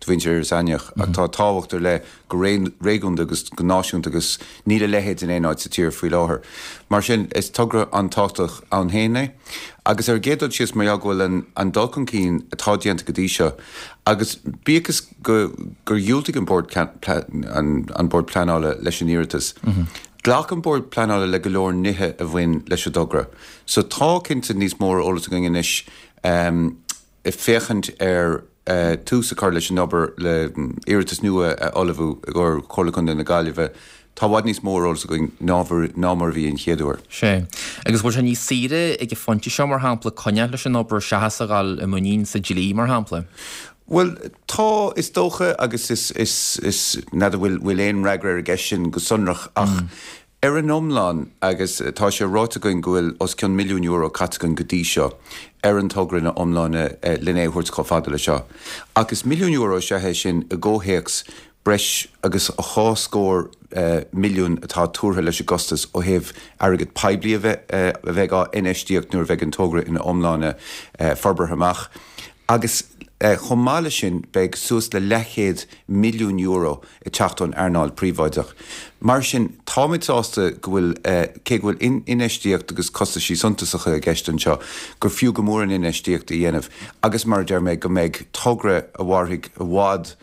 mhuintir Iorras Aithneach, ach tá tábhacht ar leith go réigiúnda agus go náisiúnta agus níl a leithéid in aon áit sa tír faoi láthair. Mar sin, is togra an-tábhachtach ann féin é. Agus ar an gcéad dul síos, mar gheall go bhfuil an dul chun cinn atá déanta go dtí seo, agus bíodh is go gur dhiúltaigh an Bord an Bord Pleanála leis an iarratas, ghlac an Bord Pleanála le go leor nithe a bhain leis an dtogra. So tá cinnte níos mó ar eolas againn anois ag féachaint ar tús a chur leis an obair le iarratas nua a ullmhú i gcomhair Chomhairle Contae na Gaillimhe, tá i bhfad níos mó ar eolas againn ná mar a bhí an chéad uair. Sea. Agus bhfuil sé níos saoire ag an phointe seo, mar shampla, coinneáil leis an obair seachas a dhul i muinín sa dlí, mar shampla? Bhuel, tá, is dócha, agus is, is, is, n'fheadar bhfuil, bhfuil aon fhreagra ar an gceist sin go sonrach ach Ar an iomlán, agus tá sé ráite againn go bhfuil os cionn €1 milliún caite againn go dtí seo ar an togra ina iomláine len é a thabhairt chomh fada le seo. Ach is €1 milliún is ea é sin i gcomhthéacs breis agus dhá scór milliún atá tuartha leis an gcostas ó thaobh airgead poiblí a bheith a bheidh á infheistíocht nuair a bheidh an togra ina iomláine forbartha amach. Agus chomh maith leis sin beidh suas le leathchéad milliún euro ag teacht ón earnáil phríobháideach. Mar sin, táimid sásta go bhfuil, cé go bhfuil infheistíocht agus costaisí suntasacha i gceist anseo, gur fiú go mór an infheistíocht a dhéanamh agus, mar a deir mé, go mbeidh togra a mhairfidh i bhfad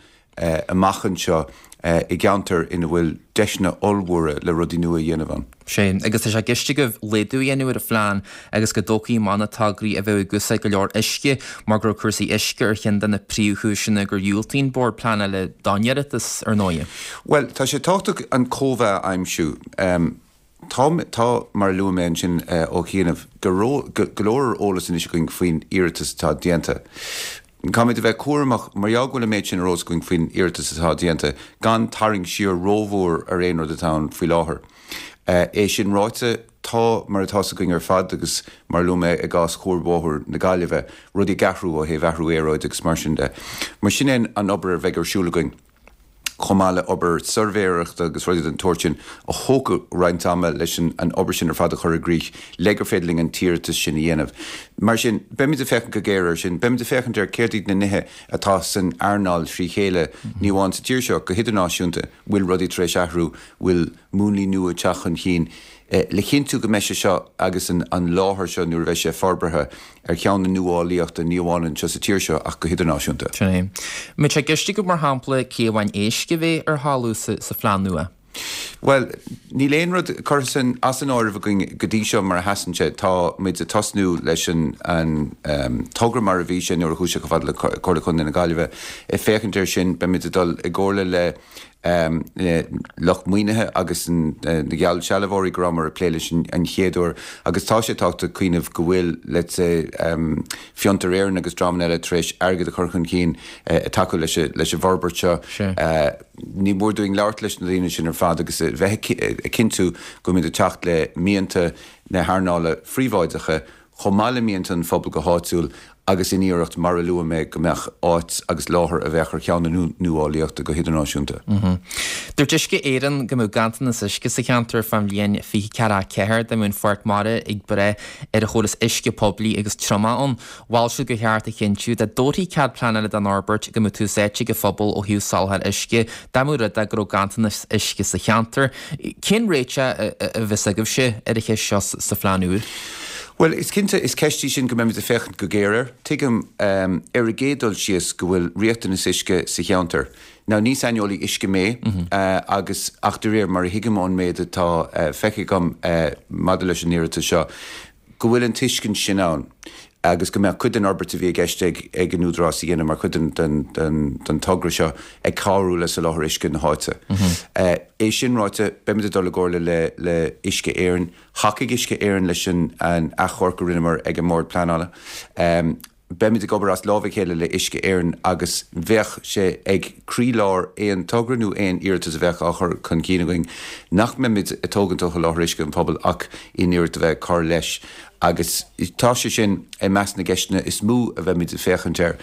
amach anseo i gceantar ina bhfuil deiseanna ollmhóra le rudaí nua a dhéanamh ann. Sea, agus tá sé i gceist agaibh laghdú a dhéanamh ar an phlean agus go dtógfaí amach na tograí a bheadh ag úsáid go leor uisce mar go raibh cúrsaí uisce ar cheann de na príomhchúiseanna gur dhiúltaigh an Bord Pleanála don iarratas, ar ndóighe. Bhuel, tá sé tábhachtach an cóimheá a aimsiú. Tá, tá, mar a luaigh mé ansin ó chianaibh, go go leor ar eolas anois againn faoin iarratas atá déanta. Caithfimid a bheith cúramach, mar gheall go bhfuil an méid sin ar eolas againn faoin iarratas atá déanta, gan tarraingt siar rómhór ar aon rud atá ann faoi láthair. É sin ráite, tá, mar atá 's againn ar fad agus mar a luaigh mé i gcás Chuarbhóthar na Gaillimhe, rudaí ag athrú ó thaobh athrú aeráide agus mar sin de. Mar sin é an obair a bheidh ar siúl againn. chomh maith le obair suirbhéireachta agus rudaí den tsórt sin a thógfaidh roinnt ama leis an obair sin ar fad a chur i gcrích le gur féidir linn an t-iarratas sin a dhéanamh. Mar sin, beimid ag féachaint go géar air sin. Beimid ag féachaint ar céard iad na nithe atá san earnáil trí chéile, ní amháin sa tír seo, go hidirnáisiúnta, bhfuil rudaí tar éis athrú, bhfuil múnlaí nua ag teacht chun cinn, le cinntiú go mbeidh sé seo agus an láthair seo nuair a bheidh sé forbartha ar cheann na nuálaíochta ní amháin anseo sa tír seo ach go hidirnáisiúnta. Sin é. Mbeidh sé i gceist agaibh mar shampla cé amháin éisc a bheidh ar thalamh sa phlean nua? Bhuel, níl aon rud curtha san as an áireamh againn go dtí seo mar a sheasann sé. Tá muid ag tosnú leis an an togra mar a bhí sé nuair a chuaigh sé chomh fada le Comhairle Contae na Gaillimhe. Ag féachaint air sin, beimid ag dul i gcomhairle le lucht maoinithe agus na geallsealbhóirí go rabhamar ag plé leis an chéad uair agus tá sé tábhachtach cuimhneamh go bhfuil, let's say, Fiontar Éireann agus dreamanna eile tar éis airgead a chur chun cinn ag tacú leis an bhforbairt seo. Ní mór dúinn labhairt leis na daoine sin ar fad agus a bheith ag cinntiú go bhfuilimid ag teacht le mianta na hearnála phríobháideacha chomh maith le mianta an phobail go háitiúil agus in iarracht, mar a luaigh mé, go mbeadh áit agus láthair a bheadh ar cheann na nuálaíochta go hidirnáisiúnta. Dúirt Uisce Éireann go mbeadh ganntanas uisce sa cheantar fán bhliain 2044 dá mbeadh an Pháirc Mhara ag brath ar an chóras uisce poiblí agus triomach ann. Mhol siad gur cheart a chinntiú dá dtabharfaí cead pleanála don fhorbairt go mbeadh tús áite ag an phobal ó thaobh soláthar uisce dá mba rud é go raibh ganntanas uisce sa cheantar. Cén réiteach a bheas agaibhse ar an cheist seo sa phlean úr? Bhuel, is cinnte, is ceist í sin go mbeimid ag féachaint go géar air. Tuigim, ar an gcéad dul síos, go bhfuil riachtanas uisce sa cheantar. Now, ní saineolaí uisce mé, agus, ach de réir mar a thuigim ón méid atá feicthe agam maidir leis an iarratas seo, go bhfuil an tuiscint sin ann agus go mbeadh cuid den fhorbairt a bhí i gceist ag an Údarás a dhéanamh mar chuid den togra seo ag cabhrú le soláthar uisce na háite. É sin ráite, beimid ag dul i gcomhairle le Uisce Éireann. Thacaigh Uisce Éireann leis an achomharc a rinneamar ag an mBord Pleanála. Beimid ag obair as lámh a chéile le Uisce Éireann agus bheadh sé ag croílár aon togra nó aon iarratas a bheadh á chur chun cinn againn nach mbeimid ag tógaint ó sholáthar uisce an phobail ach in iarracht a bheith ag cur leis agus tá sé sin i measc na gceisteanna is mó a bheimid ag féachaint air.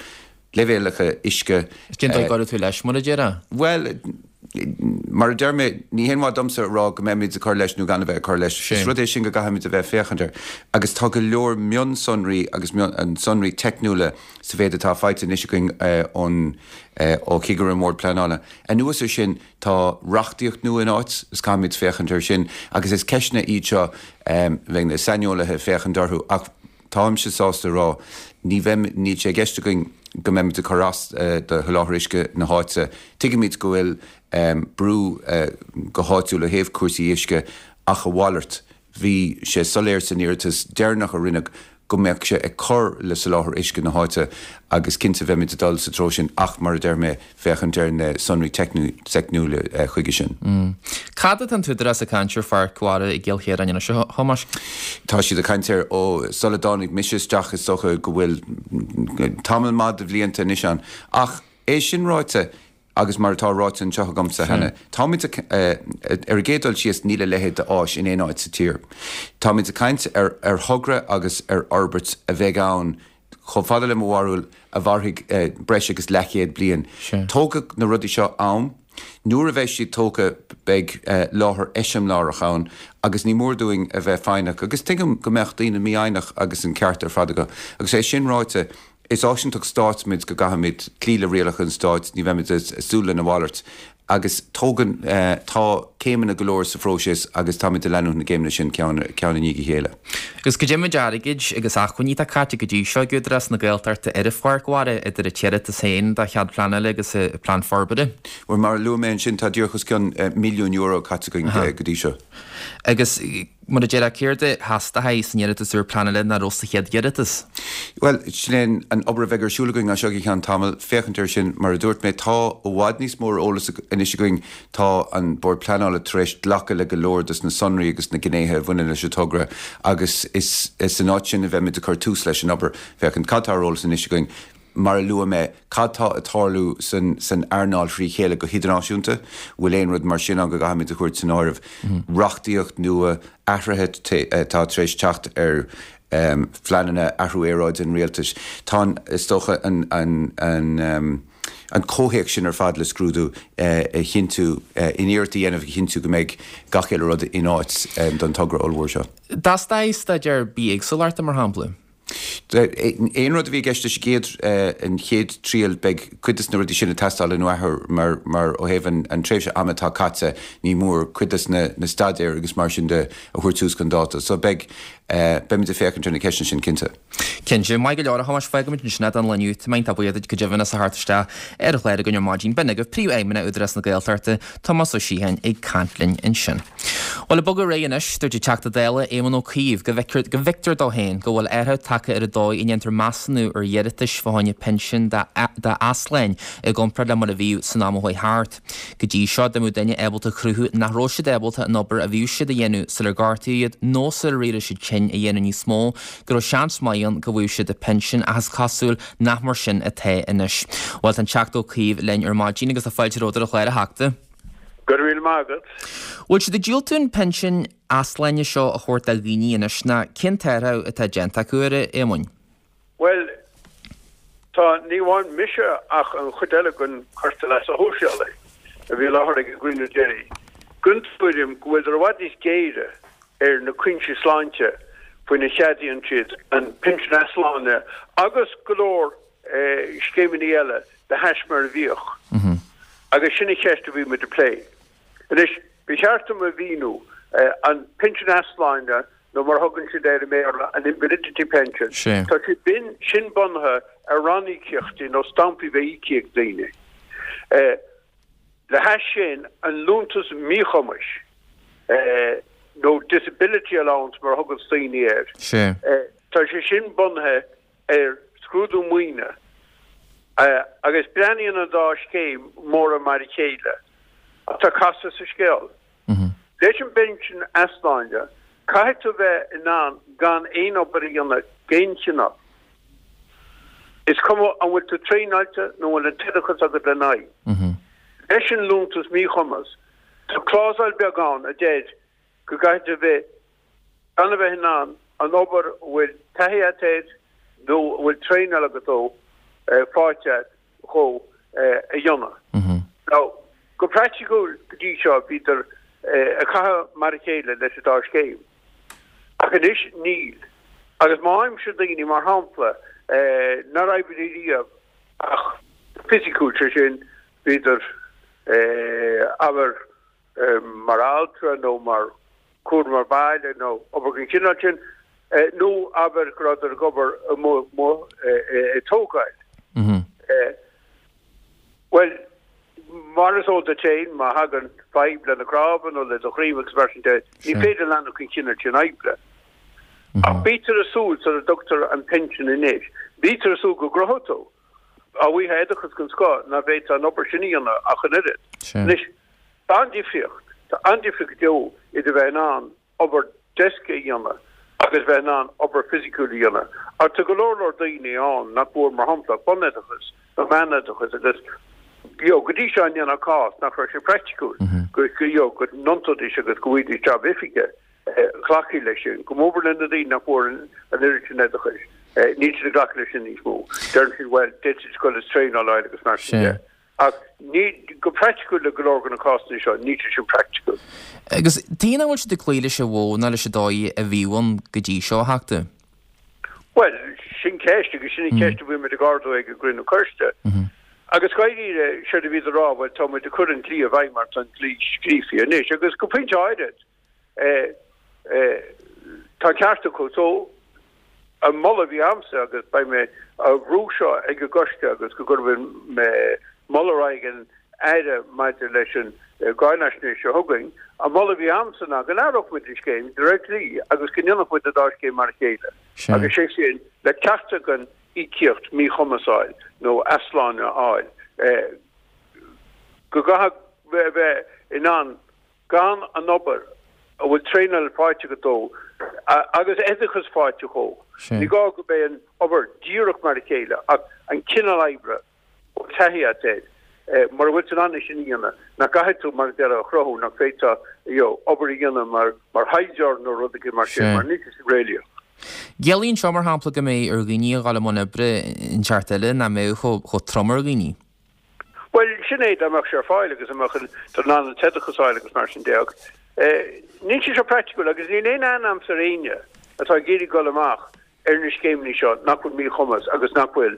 Leibhéalacha uisce. Cén dóigh a gcuirfidh tú leis, mar a déarfá? Bhuel, mar a deir mé, ní haon mhaith domsa a rá go mbeimid ag cur leis nó gan a bheith ag cur leis. Is rud é sin go gcaithfimid a bheith ag féachaint air. Agus tá go leor mionsonraí agus sonraí teicniúla sa mhéid atá faighte anois againn ón ó chigire an Bhoird Pleanála. Anuas air sin, tá reachtaíocht nua in áit is caithfimid féachaint air sin. Agus is ceisteanna iad seo a bheidh na saineolaithe ag féachaint orthu. Ach táimse sásta a rá, ní bheidh, níl sé i gceist againn go mbeimid ag cur as do sholáthar uisce na háite. Tuigimid go bhfuil brú go háitiúil ó thaobh cúrsaí uisce ach a mhalairt, bhí sé soiléir san iarratas deireanach a rinneadh go mbeadh sé ag cur le soláthar uisce na háite agus cinnte bheimid ag dul sa treo sin ach mar a deir mé, féachaint ar na sonraí teicniúla chuige sin. Cad atá an tÚdarás ag caint ar Pháirc Mhara i gCill Chiaráin anois, a Thomáis? Tá siad ag caint air ó sula dtáinig mise isteach, is dócha go bhfuil tamall maith de bhlianta anois ann. Ach é sin ráite, agus mar atá ráite anseo agamsa cheana, táimid ag, ar an gcéad dul síos, níl a leithéid d'áis in aon áit sa tír. Táimid ag caint ar thogra agus ar fhorbairt a bheidh ann chomh fada le mo bharúil, a mhairfidh breis agus leathchéad bliain. Tógfaidh na rudaí seo am. Nuair a bheidh siad tógtha beidh láthair eiseamláireach ann agus ní mór dúinn a bheith foighneach. Agus tuigim go mbeadh daoine mífhoighneach agus an ceart ar fad acu. Agus é sin ráite, is áisinteacht stáit muid go gcaithfimid cloí le rialacha an stáit, ní bheimid ag súil lena mhalairt. Agus tógann, tá céimeanna go leor sa phróiseas agus táimid ag leanúint na gcéimeanna sin ceann i ndiaidh a chéile. Agus cad é méid airgid agus acmhainní atá caite go dtí seo ag Údarás na Gaeltachta ar an Pháirc Mhara, idir an t-iarratas féin do chead pleanála agus an plean forbartha? Bhuel, mar a luaigh mé ansin, tá díreach os cionn milliún euro caite againn go dtí seo. Agus Mar a déarfá, céard a theastóidh san iarratas úr pleanála nach raibh sa chéad iarratas? Bhuel, sin é an obair a bheidh ar siúl againn as seo go ceann tamaill, féachaint air sin. Mar a dúirt mé, tá i bhfad níos mó eolas anois againn. Tá an Bord Pleanála tar éis glacadh le go leor de na sonraí agus na gnéithe a bhaineann leis an togra agus is san áit sin a bheimid ag cur tús leis an obair, féachaint cad tá ar eolas anois againn. Mar a luaigh mé, cad tá ag tarlú san earnáil thrí chéile go hidirnáisiúnta? Bhfuil aon rud mar sin ann go gcaithfimid a thabhairt san áireamh? Reachtaíocht nua, athruithe atá tar éis teacht ar phleananna athrú aeráide an rialtais. Tá an, is dócha, an, an, an. an comhthéacs sin ar fad le scrúdú a chinntiú, in iarracht a dhéanamh a chinntiú go mbeidh gach uile rud in áit don togra ollmhór seo. Dteastóidh staidéar bithéagsúlachta, mar shampla. Aon rud a bhí i gceist leis an gcéad, an chéad triail, beidh cuid des na rudaí sin ag teastáil an athuair mar, mar ó thaobh an, an tréimhse ama atá caite, ní mór cuid des na, na staidéir agus mar sin de a thabhairt suas chun dáta. So beidh, beimid ag féachaint ar na ceisteanna sin, cinnte. Cinnte. Maith go leor, a Thomáis, fágfaimid ansin é don lá inniu. Tá mé iontach buíoch duit go deimhin as a theacht isteach ar an chlár againn ar maidin. B'in agaibh Príomhfheidhmeannach Údarás na Gaeltachta, Tomás Ó Síocháin ag caint linn ansin. Bhuel, ag bogadh ar aghaidh anois, dúirt an Teachta Dála Éamon Ó Cuív go bhfeictear dó féin go bhfuil athrú tagtha ar an dóigh a ndéantar measúnú ar iarratais fá choinne pinsean d'easláin i gcomparáid le mar a bhíodh san am a chuaigh thart. Go dtí seo, dá mbeadh duine ábalta a chruthú nach raibh siad ábalta an obair a bhíodh siad a dhéanamh sular gortaíodh iad nó sula raibh siad tinn a dhéanamh níos mó, go raibh seans maith ann go bhfaigheadh siad a bpinsean ach is cosúil nach mar sin atá anois. Bhuel, tá an Teachta Ó Cuív linn ar maidin agus tá fáilte romhat ar an chlár, a Theachta. Go raibh míle maith agat. Bhfuil siad ag diúltú an pinsean easláine seo a thabhairt do dhaoine anois ná cén t-athrú atá déanta acu air, a Éamoin? Bhuel, tá, ní amháin mise ach an chuid eile den Choiste Leasa Shóisialaigh a bhí i láthair ag an gcruinniú deiridh, den tuairim go bhfuileadar i bhfad níos géire ar na cúinsí sláinte faoina cheadaíonn siad an pinsean easláine agus go leor scéimeanna eile de hais mar a bhíodh. Agus sin an cheist a bhí muid ag plé. Anois, ba cheart dom a mhíniú, an pinsean easláine, nó mar a thugann siad air i mBéarla, an invalidity pension, tá sé sin bunaithe ar ranníocaíochtaí nó stampaí a bheith íoctha ag daoine. Le hais sin, an liúntas míchumais, nó disability allowance mar a thuganns daoine air, tá sé sin bunaithe ar scrúdú maoine agus breathnaíonn an dá scéim mórán mar a chéile. Ach tá casadh sa scéal. Leis an bpinsean easláine, caithfidh tú bheith in ann gan aon obair a dhéanamh d'aon chineál. Is cuma an bhfuil tú traenáilte nó an bhfuil an t-oideachas agat lena aghaidh. Leis an liúntas míchumas, tá clásal beag ann a deir go gcaithfidh tú bheith gan a bheith in ann an obair a bhfuil taithí agat air nó a bhfuil traenáil agat dó faighte agat dhó a dhéanamh. Now, go praiticiúil go dtí seo bhíodar ag caitheamh mar a chéile leis an dá scéim. Ach anois níl. Agus má fhaighimse daoine, mar shampla, nár oibrigh riamh ach fisiciúil, sé sin, bhíodar, abair, mar altra nó mar chúramóir baile nó obair den chineál sin, nó abair go rabhadar ag obair amuigh ag tógáil. Bhuel, mar is eol duit féin, má thagann fadhb le na cnámha nó le do dhroim agus mar sin de, ní féidir leanacht den chineál sin oibre. Ach bítear ag súil sula dtugtar an pinsean anois, bítear ag súil go gcruthóidh tú, dá bhfaighfeá oideachas den scoth, nach bhféadfá an obair sin a dhéanamh ach an oiread. Anois, Tá an-difríocht, tá an-difríocht go deo idir bheith in ann obair deisce a dhéanamh agus bheith in ann obair fisiciúil a dhéanamh. Ach tá go leor leor daoine ann nach bhfuair, mar shampla, bunoideachas nó meánoideachas agus you know, go dtí seo an ndéanfá cás nach raibh sé praiticiúil go you know, go n-iontóidís agus go bhfaighidís jab oifige glacadh leis sin. Go mór mór le na daoine nach bhfuair an oiread sin oideachais, níl siad ag glacadh leis sin níos mó. Deireann siad, bhuel, d'fhéadfaidís dul is traenáil a fháil agus mar sin de. Ach ní, go praiticiúil le go leor de na cásanna seo, níl sé sin praiticiúil. Agus tuige nach bhfuil siad ag cloí leis an mhodh ná leis an dóigh a bhíodh ann go dtí seo, a Theachta? Bhuel, sin ceist, agus sin an cheist a bhí muid ag ardú ag an gcruinniú coiste. Agus dáiríre, séard a bhíodar a rá, bhuel, tá muid ag cur an dlí i bhfeidhm mar tá an dlí scríofa anois, agus go pointe áirid, Tá an ceart acu. So, an moladh a bhí a'msa, agus beidh mé á bhrú seo ag an gcoiste agus go gcuirfidh mé moladh ar aghaidh an Aire maidir leis an gcáinaisnéis seo chugainn, an moladh a bhí a'msa ná go n-athródh muid an scéim de réir dlí agus go ndéanfadh muid an dá scéim mar a chéile. Agus sé sin, le ceachtar den íocaíocht míchumais a fháil nó easláine a fháil, go gcaithfidh a bheith in ann gan an obair a bhfuil traenáil faighte agat dó agus oideachas faighte dhó. Ní gá go mbeidh an obair díreach mar a chéile ach an cineál oibre a bhfuil taithí agat air, mura bhfuil tú in ann é sin a dhéanamh, nach gcaithfidh tú, mar a déarfá, a chruthú nach bhféadfá you know obair a dhéanamh mar mar thaighdeoir nó rud éigin mar sin, mar níl sé sin réalaíoch. Ciallaíonn seo, mar shampla, go mbeidh ar dhaoine a dhul i mbun oibre inteacht eile nach mbeadh chomh trom ar dhaoine. sin é dá mbeadh sé ar fáil agus dá mbeadh tú in ann an t-oideachas a fháil agus mar sin de ach níl sé seo praiticiúil agus níl aon aithne a'msa ar éinne atá ag iarraidh dul amach ar na scéimeanna seo nach bhfuil míchumas agus nach bhfuil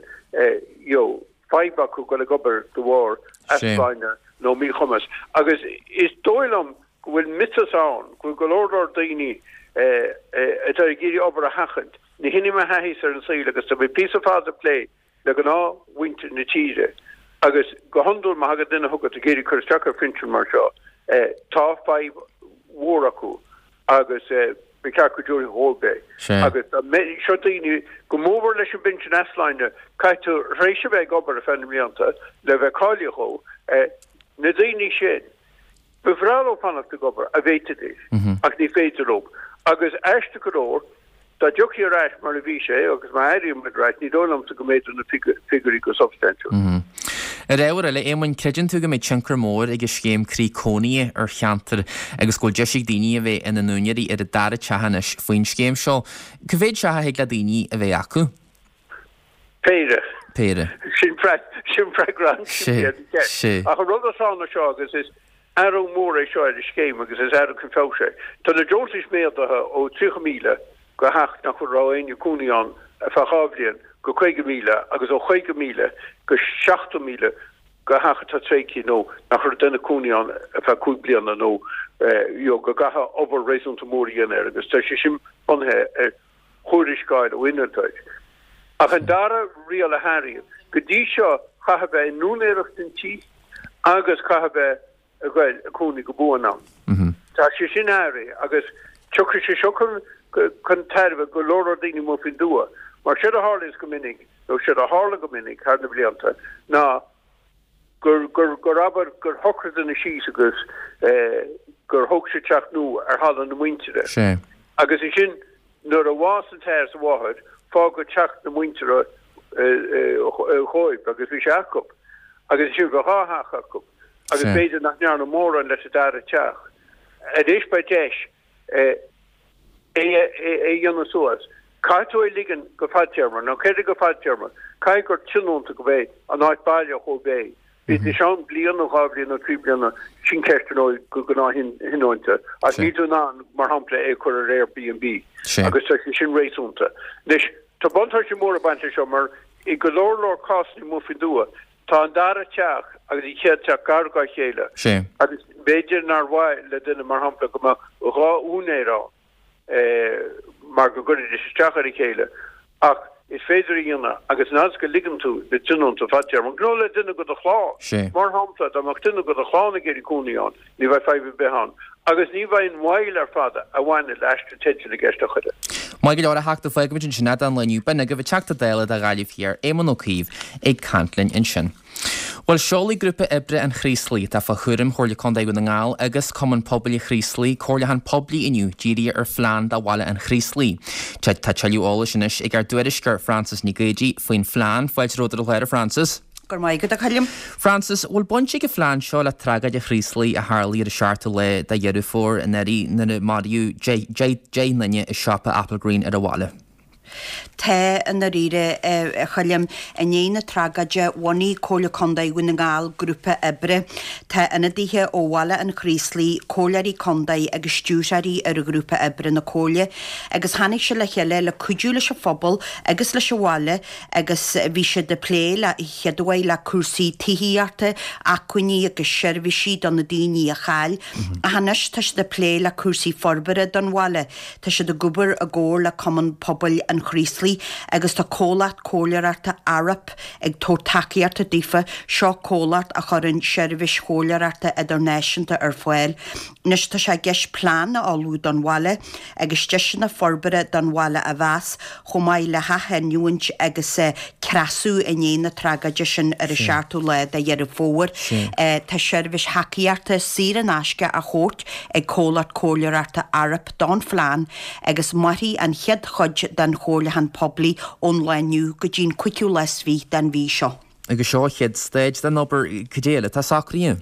you know fadhb acu dul ag obair de bharr easláine nó míchumas. Agus is dóigh liom go bhfuil miotas ann go bhfuil go leor leor daoine atá ag iarraidh obair a sheachaint. Ní hin í mo thaithísa ar an saol agus tá mé píosa fada ag plé le gnáthmhuintir na tíre agus go hiondúil má thagann duine chugat ag iarraidh cur isteach ar phinsean mar seo tá fadhb mhór acu agus ba cheart go dtabharfaí dhóibh é. Agus seo daoine, go mórmhór leis an bpinsean easláine, caithfidh tú tar éis a bheith ag obair ar feadh na mblianta le bheith cáilithe dhó, na daoine sin, ba bhreá leo fanacht ag obair, dá bhféadfaidís, ach ní féidir leo. Agus aisteach go leor, Dá dtiocfaí ar ais mar a bhí sé, agus má éiríonn muid ar ais, ní dóigh liomsa go méadódh na figiúirí go substaintiúil. Ar ábhar eile, Éamoinn, creideann tú go mbeidh tionchar mór ag an scéim Croí Cónaithe ar cheantar agus go bhfuil deis ag daoine a bheith ina n-úinéirí ar a dara teach anois faoin scéim seo. Cá mhéad teach a thig le daoine a bheith acu? Péire. Péire. Sin freagra an-simplí ar an cheist. Ach an rud atá ann seo agus is Athrú mór é seo ar an scéim agus is athrú chun feabhais é. Tá na deontais méadaithe ó 30,000 go theach nach raibh éinne ag cónaí ann ar feadh 2 bhliain go 50,000 agus ó 50,000 go 70,000 go theach atá tréigthe nó nach raibh duine ag cónaí ann ar feadh 5 bliana nó you know go gcaithfeá obair réasúnta mór a dhéanamh air agus tá sé sin bunaithe ar thuarascáil ó innealtóir. Ach an dara riail a hathraíodh, go dtí seo chaithfeá a bheith in úinéireacht an tí agus chaithfeá a bheith ag goil ag cónaí go buan ann. Tá sé sin athraithe agus tiocfaidh sé seo chun tairbhe go leor leor daoine amuigh faoin dtuath. Mar séard a tharlaíonns go minic, nó séard a tharla go minic thar na blianta, ná gur, gur, gur abair gur shocraigh duine síos agus gur thóg sé teach nua ar thalamh na muintire. Sea. Agus ansin nuair a bhásaigh an t-athair is an mháthair, fágadh teach na muintire dhóibh agus bhí sé acu. Agus ansin bheadh dhá theach acu. Agus b'fhéidir nach ndearnadh mórán leis an dara teach. Anois beidh deis. é a dhéanamh suas. Caithfidh tú é a ligean go fadtéarma, nó céard é go fadtéarma? Caithfidh gur tionónta go b'é an áit baile dhóibh é. Bíodh sé ann bliain nó 2 bhliain nó 3 bliana, sin ceist ar ndóigh go gnáth-thionónta, ach níl tú in ann, mar shampla, é a chur ar Airbnb agus tá sé sin réasúnta. Anois, tá buntáistí móra ag baint leis seo mar i go leor leor cásanna amuigh faoin dtuath, Tá an dara teach agus an chéad teach gar dá chéile agus b'fhéidir nár mhaith le duine, mar shampla, go mbeadh 2 úinéir ann mar go gcuirfidís isteach ar a chéile ach is féidir a dhéanamh agus an fhad is go ligeann tú le tionónta fadtéarmach nó le duine de do chlann. Mar shampla, dá mbeadh duine de do chlann ag iarraidh cónaí ann, ní bheadh fadhb ar bith ann agus ní bheidh an mhoill ar fad a bhaineann le aistriú teidil i gceist a thuilleadh. Maith go leor, a Theachta, fágfaimid ansin é don lá inniu. B'in agaibh an Teachta Dála do Ghaillimh Thiar, Éamon Ó Cuív, ag caint linn ansin. Bhuel, seolfaidh Grúpa Oibre an Chraoslaigh, atá fá chúram Chomhairle Contae Dhún na nGall agus Cumann Pobail an Chraoslaigh, comhairliúchán poiblí inniu dírithe ar phlean do bhaile an Chraoslaigh. Tá tuilleadh eolais anois ag ár dtuairisceoir Frances Nic Géadaigh faoin phlean. Fáilte romhat ar an chlár, a Frances. Go raibh maith agat, a Choilm. Frances, bhfuil baint ag an phlean seo le tragóid an Chraoslaigh a tharlaigh ar an seachtú lá de Dheireadh Fómhair anuraidh nuair a maraíodh 10 nduine i siopa Applegreen ar an bhaile? Tá, i ndáiríre, a Choilm. I ndiaidh na tragóide, bhunaigh Comhairle Contae Dhún na nGall grúpa oibre. Tá ionadaithe ó Bhaile an Chraoslaigh, comhairleoirí contae agus stiúrthóirí ar ghrúpa oibre na Comhairle agus tháinig siad le chéile le cuidiú leis an phobal agus leis an bhaile agus bhí siad ag plé le chéaduair le cúrsaí tithíochta, acmhainní agus seirbhísí do na daoine a chaill. Ach anois tá siad ag plé le cúrsaí forbartha don bhaile. Tá siad ag obair i gcomhar le Cumann Pobail an Chraoslaigh agus tá comhlacht comhairleoireachta Arup ag tabhairt tacaíochta daofa. Seo comhlacht a chuireann seirbhís chomhairleoireachta idirnáisiúnta ar fáil. Anois tá sé i gceist plean a ullmhú don bhaile agus deiseanna forbartha don bhaile a mheas, chomh maith le hathghiniúint agus creasadh i ndiaidh na tragóide sin ar an seachtú lá de Dheireadh Fómhair. Tá seirbhís thacaíochta saor in aisce á thabhairt ag comhlacht comhairleoireachta Arup don phlean agus mairfidh an chéad chuid den chomhairliúchán poiblí ón lá inniu go dtí an cúigiú lá is fiche den mhí seo. Agus seo an chéad staid den obair, cad é eile atá socraithe?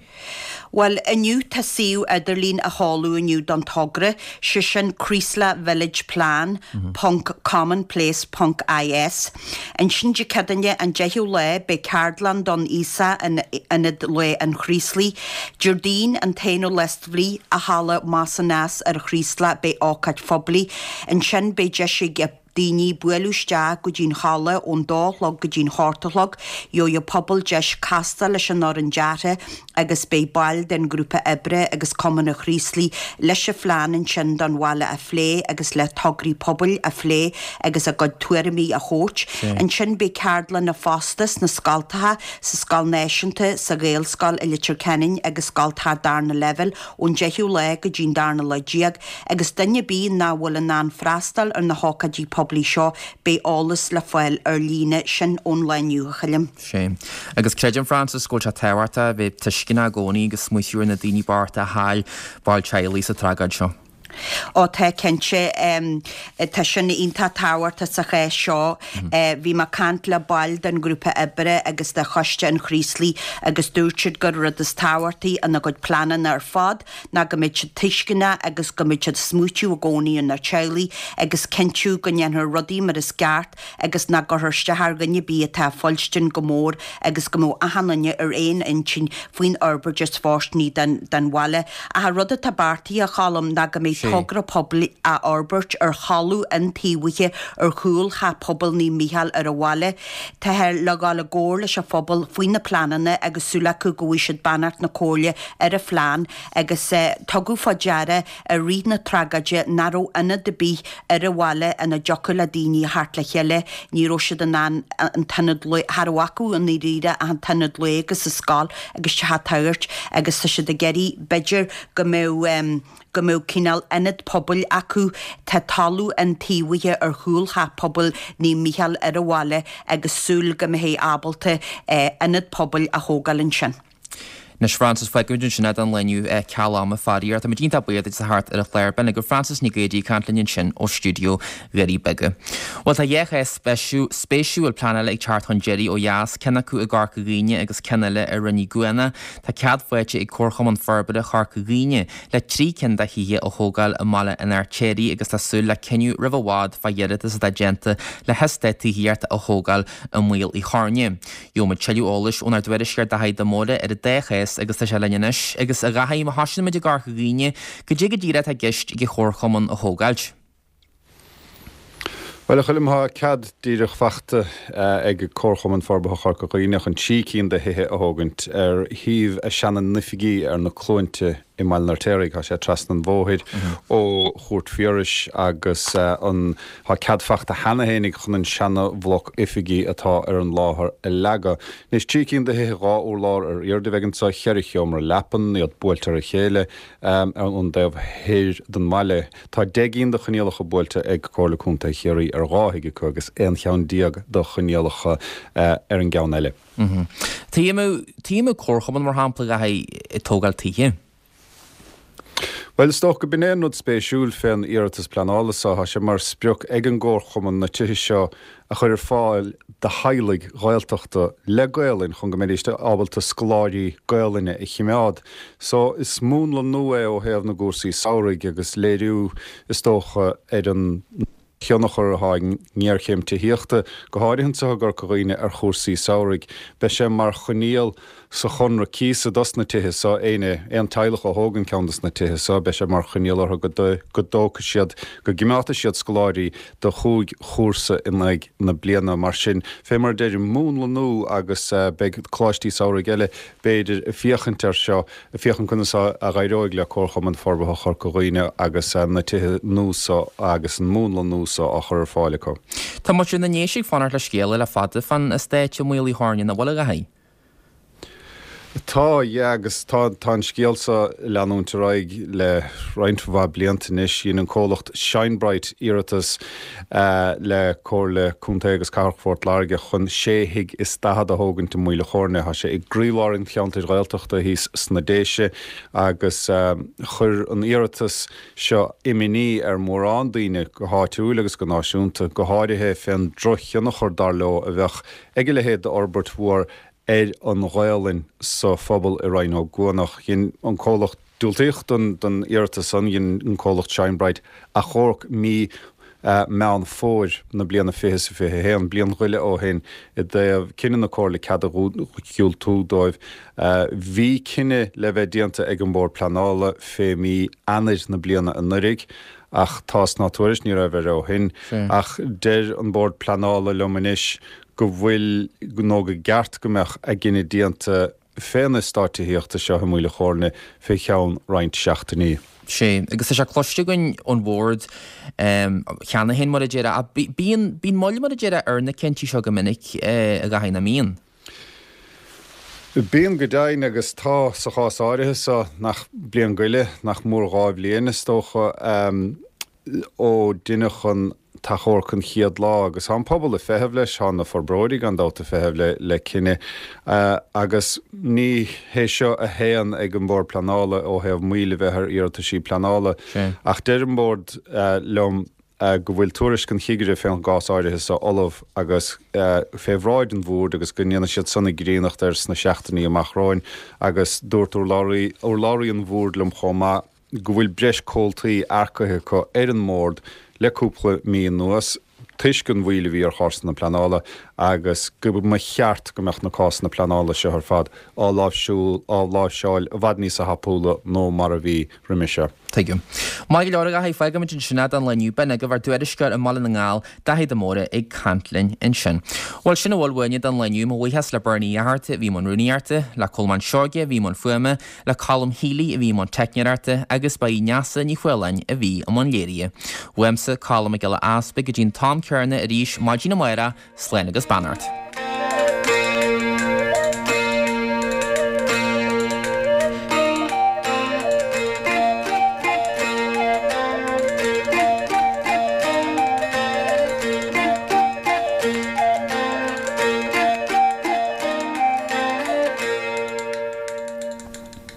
Bhuel, inniu tá suíomh idirlín á sheoladh inniu don togra, sé sin Creeslough Village Plan ponc commonplace ponc is. Ansin Dé Céadaoine an 10ú lá beidh ceardlann don aosach in Ionad Lae an Chraoslaigh. Déardaoin an t-aonú lá de mhí i Halla Mason's ar an Chraoslach beidh ócáid phoiblí. Ansin beidh deis ag. daoine bualadh isteach go dtí'n halla ón dó a chlog go dtí'n hocht a chlog. Gheobhaidh an pobal deis castáil leis an fhoireann deartha agus beidh baill den ghrúpa oibre agus Cumann an Chraoslaigh leis an phlean ansin don bhaile a phlé agus le tograí pobail a phlé agus a gcuid tuairimí a thabhairt. Ansin beidh ceardlanna fosta sna scoltacha, sa Scoil Náisiúnta, sa Ghaelscoil i Leitir Ceanainn agus scoltacha darna leibhéal ón deichiú lá go dtí'n darna lá déag. Agus duine ar bith nach bhfuil in ann freastal ar na hócáidí poiblí seo, beidh eolas le fáil ar líne, sin ón lá inniu, a Choilm. Sea. Agus creidim, Frances, go bhfuil sé tábhachtach a bheith tuisceanach i gcónaí agus smaoitiú ar na daoine bochta a chaill baill teaghlaigh sa tragóid seo. Ó tá, cinnte. Tá sin iontach tábhachtach sa chás seo. Bhí mé ag caint le baill den ghrúpa oibre agus de Choiste an Chraoslaigh agus dúirt siad gur rud is tábhachtaí ina gcuid pleananna ar fad ná go mbeidh siad tuisceanach agus go mbeidh siad ag smaoitiú i gcónaí ar na teaghlaigh agus cinntiú go ndéanfar rudaí mar is ceart agus nach gcuirfear isteach ar dhuine ar bith atá ag fuilstin go mór agus go mbeadh achan duine ar aon intinn faoin fhorbairt is fóirsteanaí don bhaile. Ach an rud atá beartaithe, a Choilm, ná go mbeidh togra poiblí á fhorbairt ar thalamh iontaobhaithe ar chúl Theach Pobail Naomh Mícheál ar an bhaile. Táthar le dhul i gcomhar leis an phobal faoi na pleananna agus súil acu go bhfaighidh siad beannacht na Comhairle ar an phlean agus tugadh fá deara i rith na tragóide nach raibh ionad ar bith ar an bhaile ina dtiocfadh le daoine a theacht le chéile, ní raibh siad in ann an t-ionad lae, cha raibh acu i ndáiríre ach an t-ionad lae agus an scoil agus teach an tSagairt agus tá siad ag iarraidh b'fhéidir go mbeadh. go mbeadh cineál ionad pobail acu. Tá talamh iontaobhaithe ar chúl Theach Pobail Naomh Mícheál ar an bhaile agus súil go mbeifí ábalta ionad pobail a thógáil ansin. Anois Frances, fágfaimid ansin é don lá inniu ceal ama faraor. Táimid iontach buíoch duit as a theacht ar an chlár. B'in agaibh Frances Nic Géadaigh ag caint linn ansin ó stiúideo Dhoirí Beaga. Bhuel tá dhá chás spéisiúil pleanála ag teacht chun deiridh ó dheas, ceann acu i gCorca Dhuibhne agus ceann eile i Rinn Uí Gcuana. Tá cead faighte ag Comharchumann Forbartha Chorca Dhuibhne le 3 cinn de thithe a thógáil i mBaile an Fheirtéaraigh agus tá súil le cinneadh roimh i bhfad fá iarratas atá déanta le heastát tithíochta a thógáil i Maoil Uí Chorna. Gheobhaimid tuilleadh eolais ónár dtuairisceoir Daithí de Mórdha ar an dá chás agus tá sé linn anois. Agus a Dhaithí, má thosaíonn muid i gCorca Dhuibhne, cad é go díreach atá i gceist ag an Chomharchumann a thógáilt? Bhuel, a Choilm, tá cead díreach fachta ag Comharchumann Forbartha Chorca Dhuibhne chun 3 cinn de thithe a thógaint ar shuíomh a seana-n-oifigí ar na Cluainte i mBaile an Fheirtéaraigh. Tá sé trasna an bhóthair ó Chúirt Phiarais agus an tá cead fachta cheana fhéinig chun an seana-bhloc oifigí atá ar an láthair a leagadh. Anois, 3 cinn de thithe, 2 urlár ar airde a bheidh anso, cheithre sheomra leapan, iad buailte ar a chéile ar an dtaobh thoir den bhaile. Tá 10 gcinn de choinníollacha buailte ag Comhairle Contae Chiarraí ar dhá thigh acu agus 11 cheann de choinníollacha ar an gceann eile. Tuige a mbeadh comharchumann, mar shampla, a Dhaithí, ag tógáil tithe? Bhuel, is dócha go b'in é an rud spéisiúil fén iarratas pleanála so. Tá sé mar sprioc ag an gcomharchumann na tithe seo a chur ar fáil do theaghlaigh Ghaeltachta le Gaolainn chun go mbeidís ábalta scoláirí Gaolainne a chimeád. So, is múnla nua é ó thaobh na gcúrsaí samhraidh agus léiriú, is dócha, ar an thionchar atá ag an ngéarchéim tithíochta, go háirithe anseo i gCorca Dhuibhne, ar chúrsaí samhraidh. Beidh sé mar choinníoll sa chonradh cíosa dos na tithe so, éinne, aon teaghlach a thógann ceann dos na tithe so, beidh sé mar choinníoll orthu go go dtógfaidh siad, go gcimeádfaidh siad scoláirí do chúig chúrsa in aghaidh na bliana. Mar sin, fé mar a deirim, múnla nua agus beidh coláistí samhraidh eile, b'fhéidir, ag féachaint air seo, ag féachaint conas a dh'éireoidh le Comharchumann Forbartha Chorca Dhuibhne agus na tithe nua so agus an múnla nua so á chur ar fáil acu. Tá muintir na nDéise ag fanacht le scéala le fada fán eastát i Maol Uí Chorna, nach bhfuil, a Dhaithí? Tá, yeah, agus tá, tá an scéal seo ag leanúint ar aghaidh le roinnt mhaith blianta anois. Dhein an comhlacht Shinebright iarratas le Comhairle Contae agus Cathrach Phort Láirge chun sé thigh is daichead a thógaint i Maoil a' Chóirne. Tá sé i gcroílár an cheantair Ghaeltachta thíos sna Déise agus chuir an iarratas seo imní ar mhórán daoine go háitiúil agus go náisiúnta, go háirithe fén drochthionchar, dar leo, a bheadh ag a leithéid d'fhorbairt mhór. ar an Ghaolainn sa phobal i Rinn Ó gCuanach. Dhein an comhlacht, diúltaíodh don iarratas san, dhein an comhlacht Shine Bright achomharc mí Meán Fómhair na bliana 2021, bliain go leith ó shin, i dtaobh cinneadh na Comhairle cead a dhiúltú dóibh. Bhí cinneadh le bheith déanta ag an Bhord Pleanála fé mí Eanáir na bliana anuraidh ach tásc ná tuairisc ní raibh air ó shin. Ach deir an Bord Pleanála liom anois go bhfuil nó go gceart go mbeadh a gcinneadh déanta fén eastát tithíochta seo i Maoil a' Chóirne fé cheann roinnt seachtainí. Sea, agus tá sé cloiste againn ón Bhord cheana féin, mar a déarfá, ach bíonn, bíonn moill, mar a déarfá, ar na cinntí seo go minic, a Dhaithí, nach mbíonn? Bíonn go deimhin, agus tá sa chás áirithe seo, nach bliain go leith, nach mór 2 bhliain, is dócha. ó deineadh an t-achomharc an chéad lá agus tá an pobal ag feitheamh leis, tá na forbróirí gan dabht ag feitheamh le cinneadh agus ní hé seo a théann ag an Bhord Pleanála ó thaobh moill a bheith ar iarrataisí pleanála ach deir an Bord liom go bhfuil tuairisc an chigire fén gcás áirithe seo ullamh agus fé bhráid an Bhoird agus go ndéanfaidh siad san a gcríonnacht air sna seachtainí amach romhainn agus dúirt urlabhraí an Bhoird liom chomh maith go bhfuil breis comhaltaí earcaithe acu ar an mbord le cúpla mí anuas toisc an mhoill a bhí ar chásanna pleanála agus go mba cheart go mbeadh na cásanna pleanála seo ar fad á láimhseáil i bhfad níosa thapúla nó mar a bhí roimhe seo. Tuigim. Maith go leor, a Dhaithí, fágfaimid ansin é don lá inniu. B'in agaibh ár dtuairisceoir i mBaile na nGall, Daithí de Mórdha ag caint linn ansin. Bhuel, sin a bhfuil uainne don lá inniu. Mo bhuíochas le Bernie Uí Fhatharta a bhí i mbun rúnaíochta, le Colmán Seoige a bhí i mbun fuaime, le Colm Healy a bhí i mbun teicneoireachta agus ba í Neasa Ní Chualáin a bhí i mbun léirithe. Uaimse, Colm Mac Giolla Easpaig, go dtí an t-am céanna arís maidin amárach, slán agus beannacht.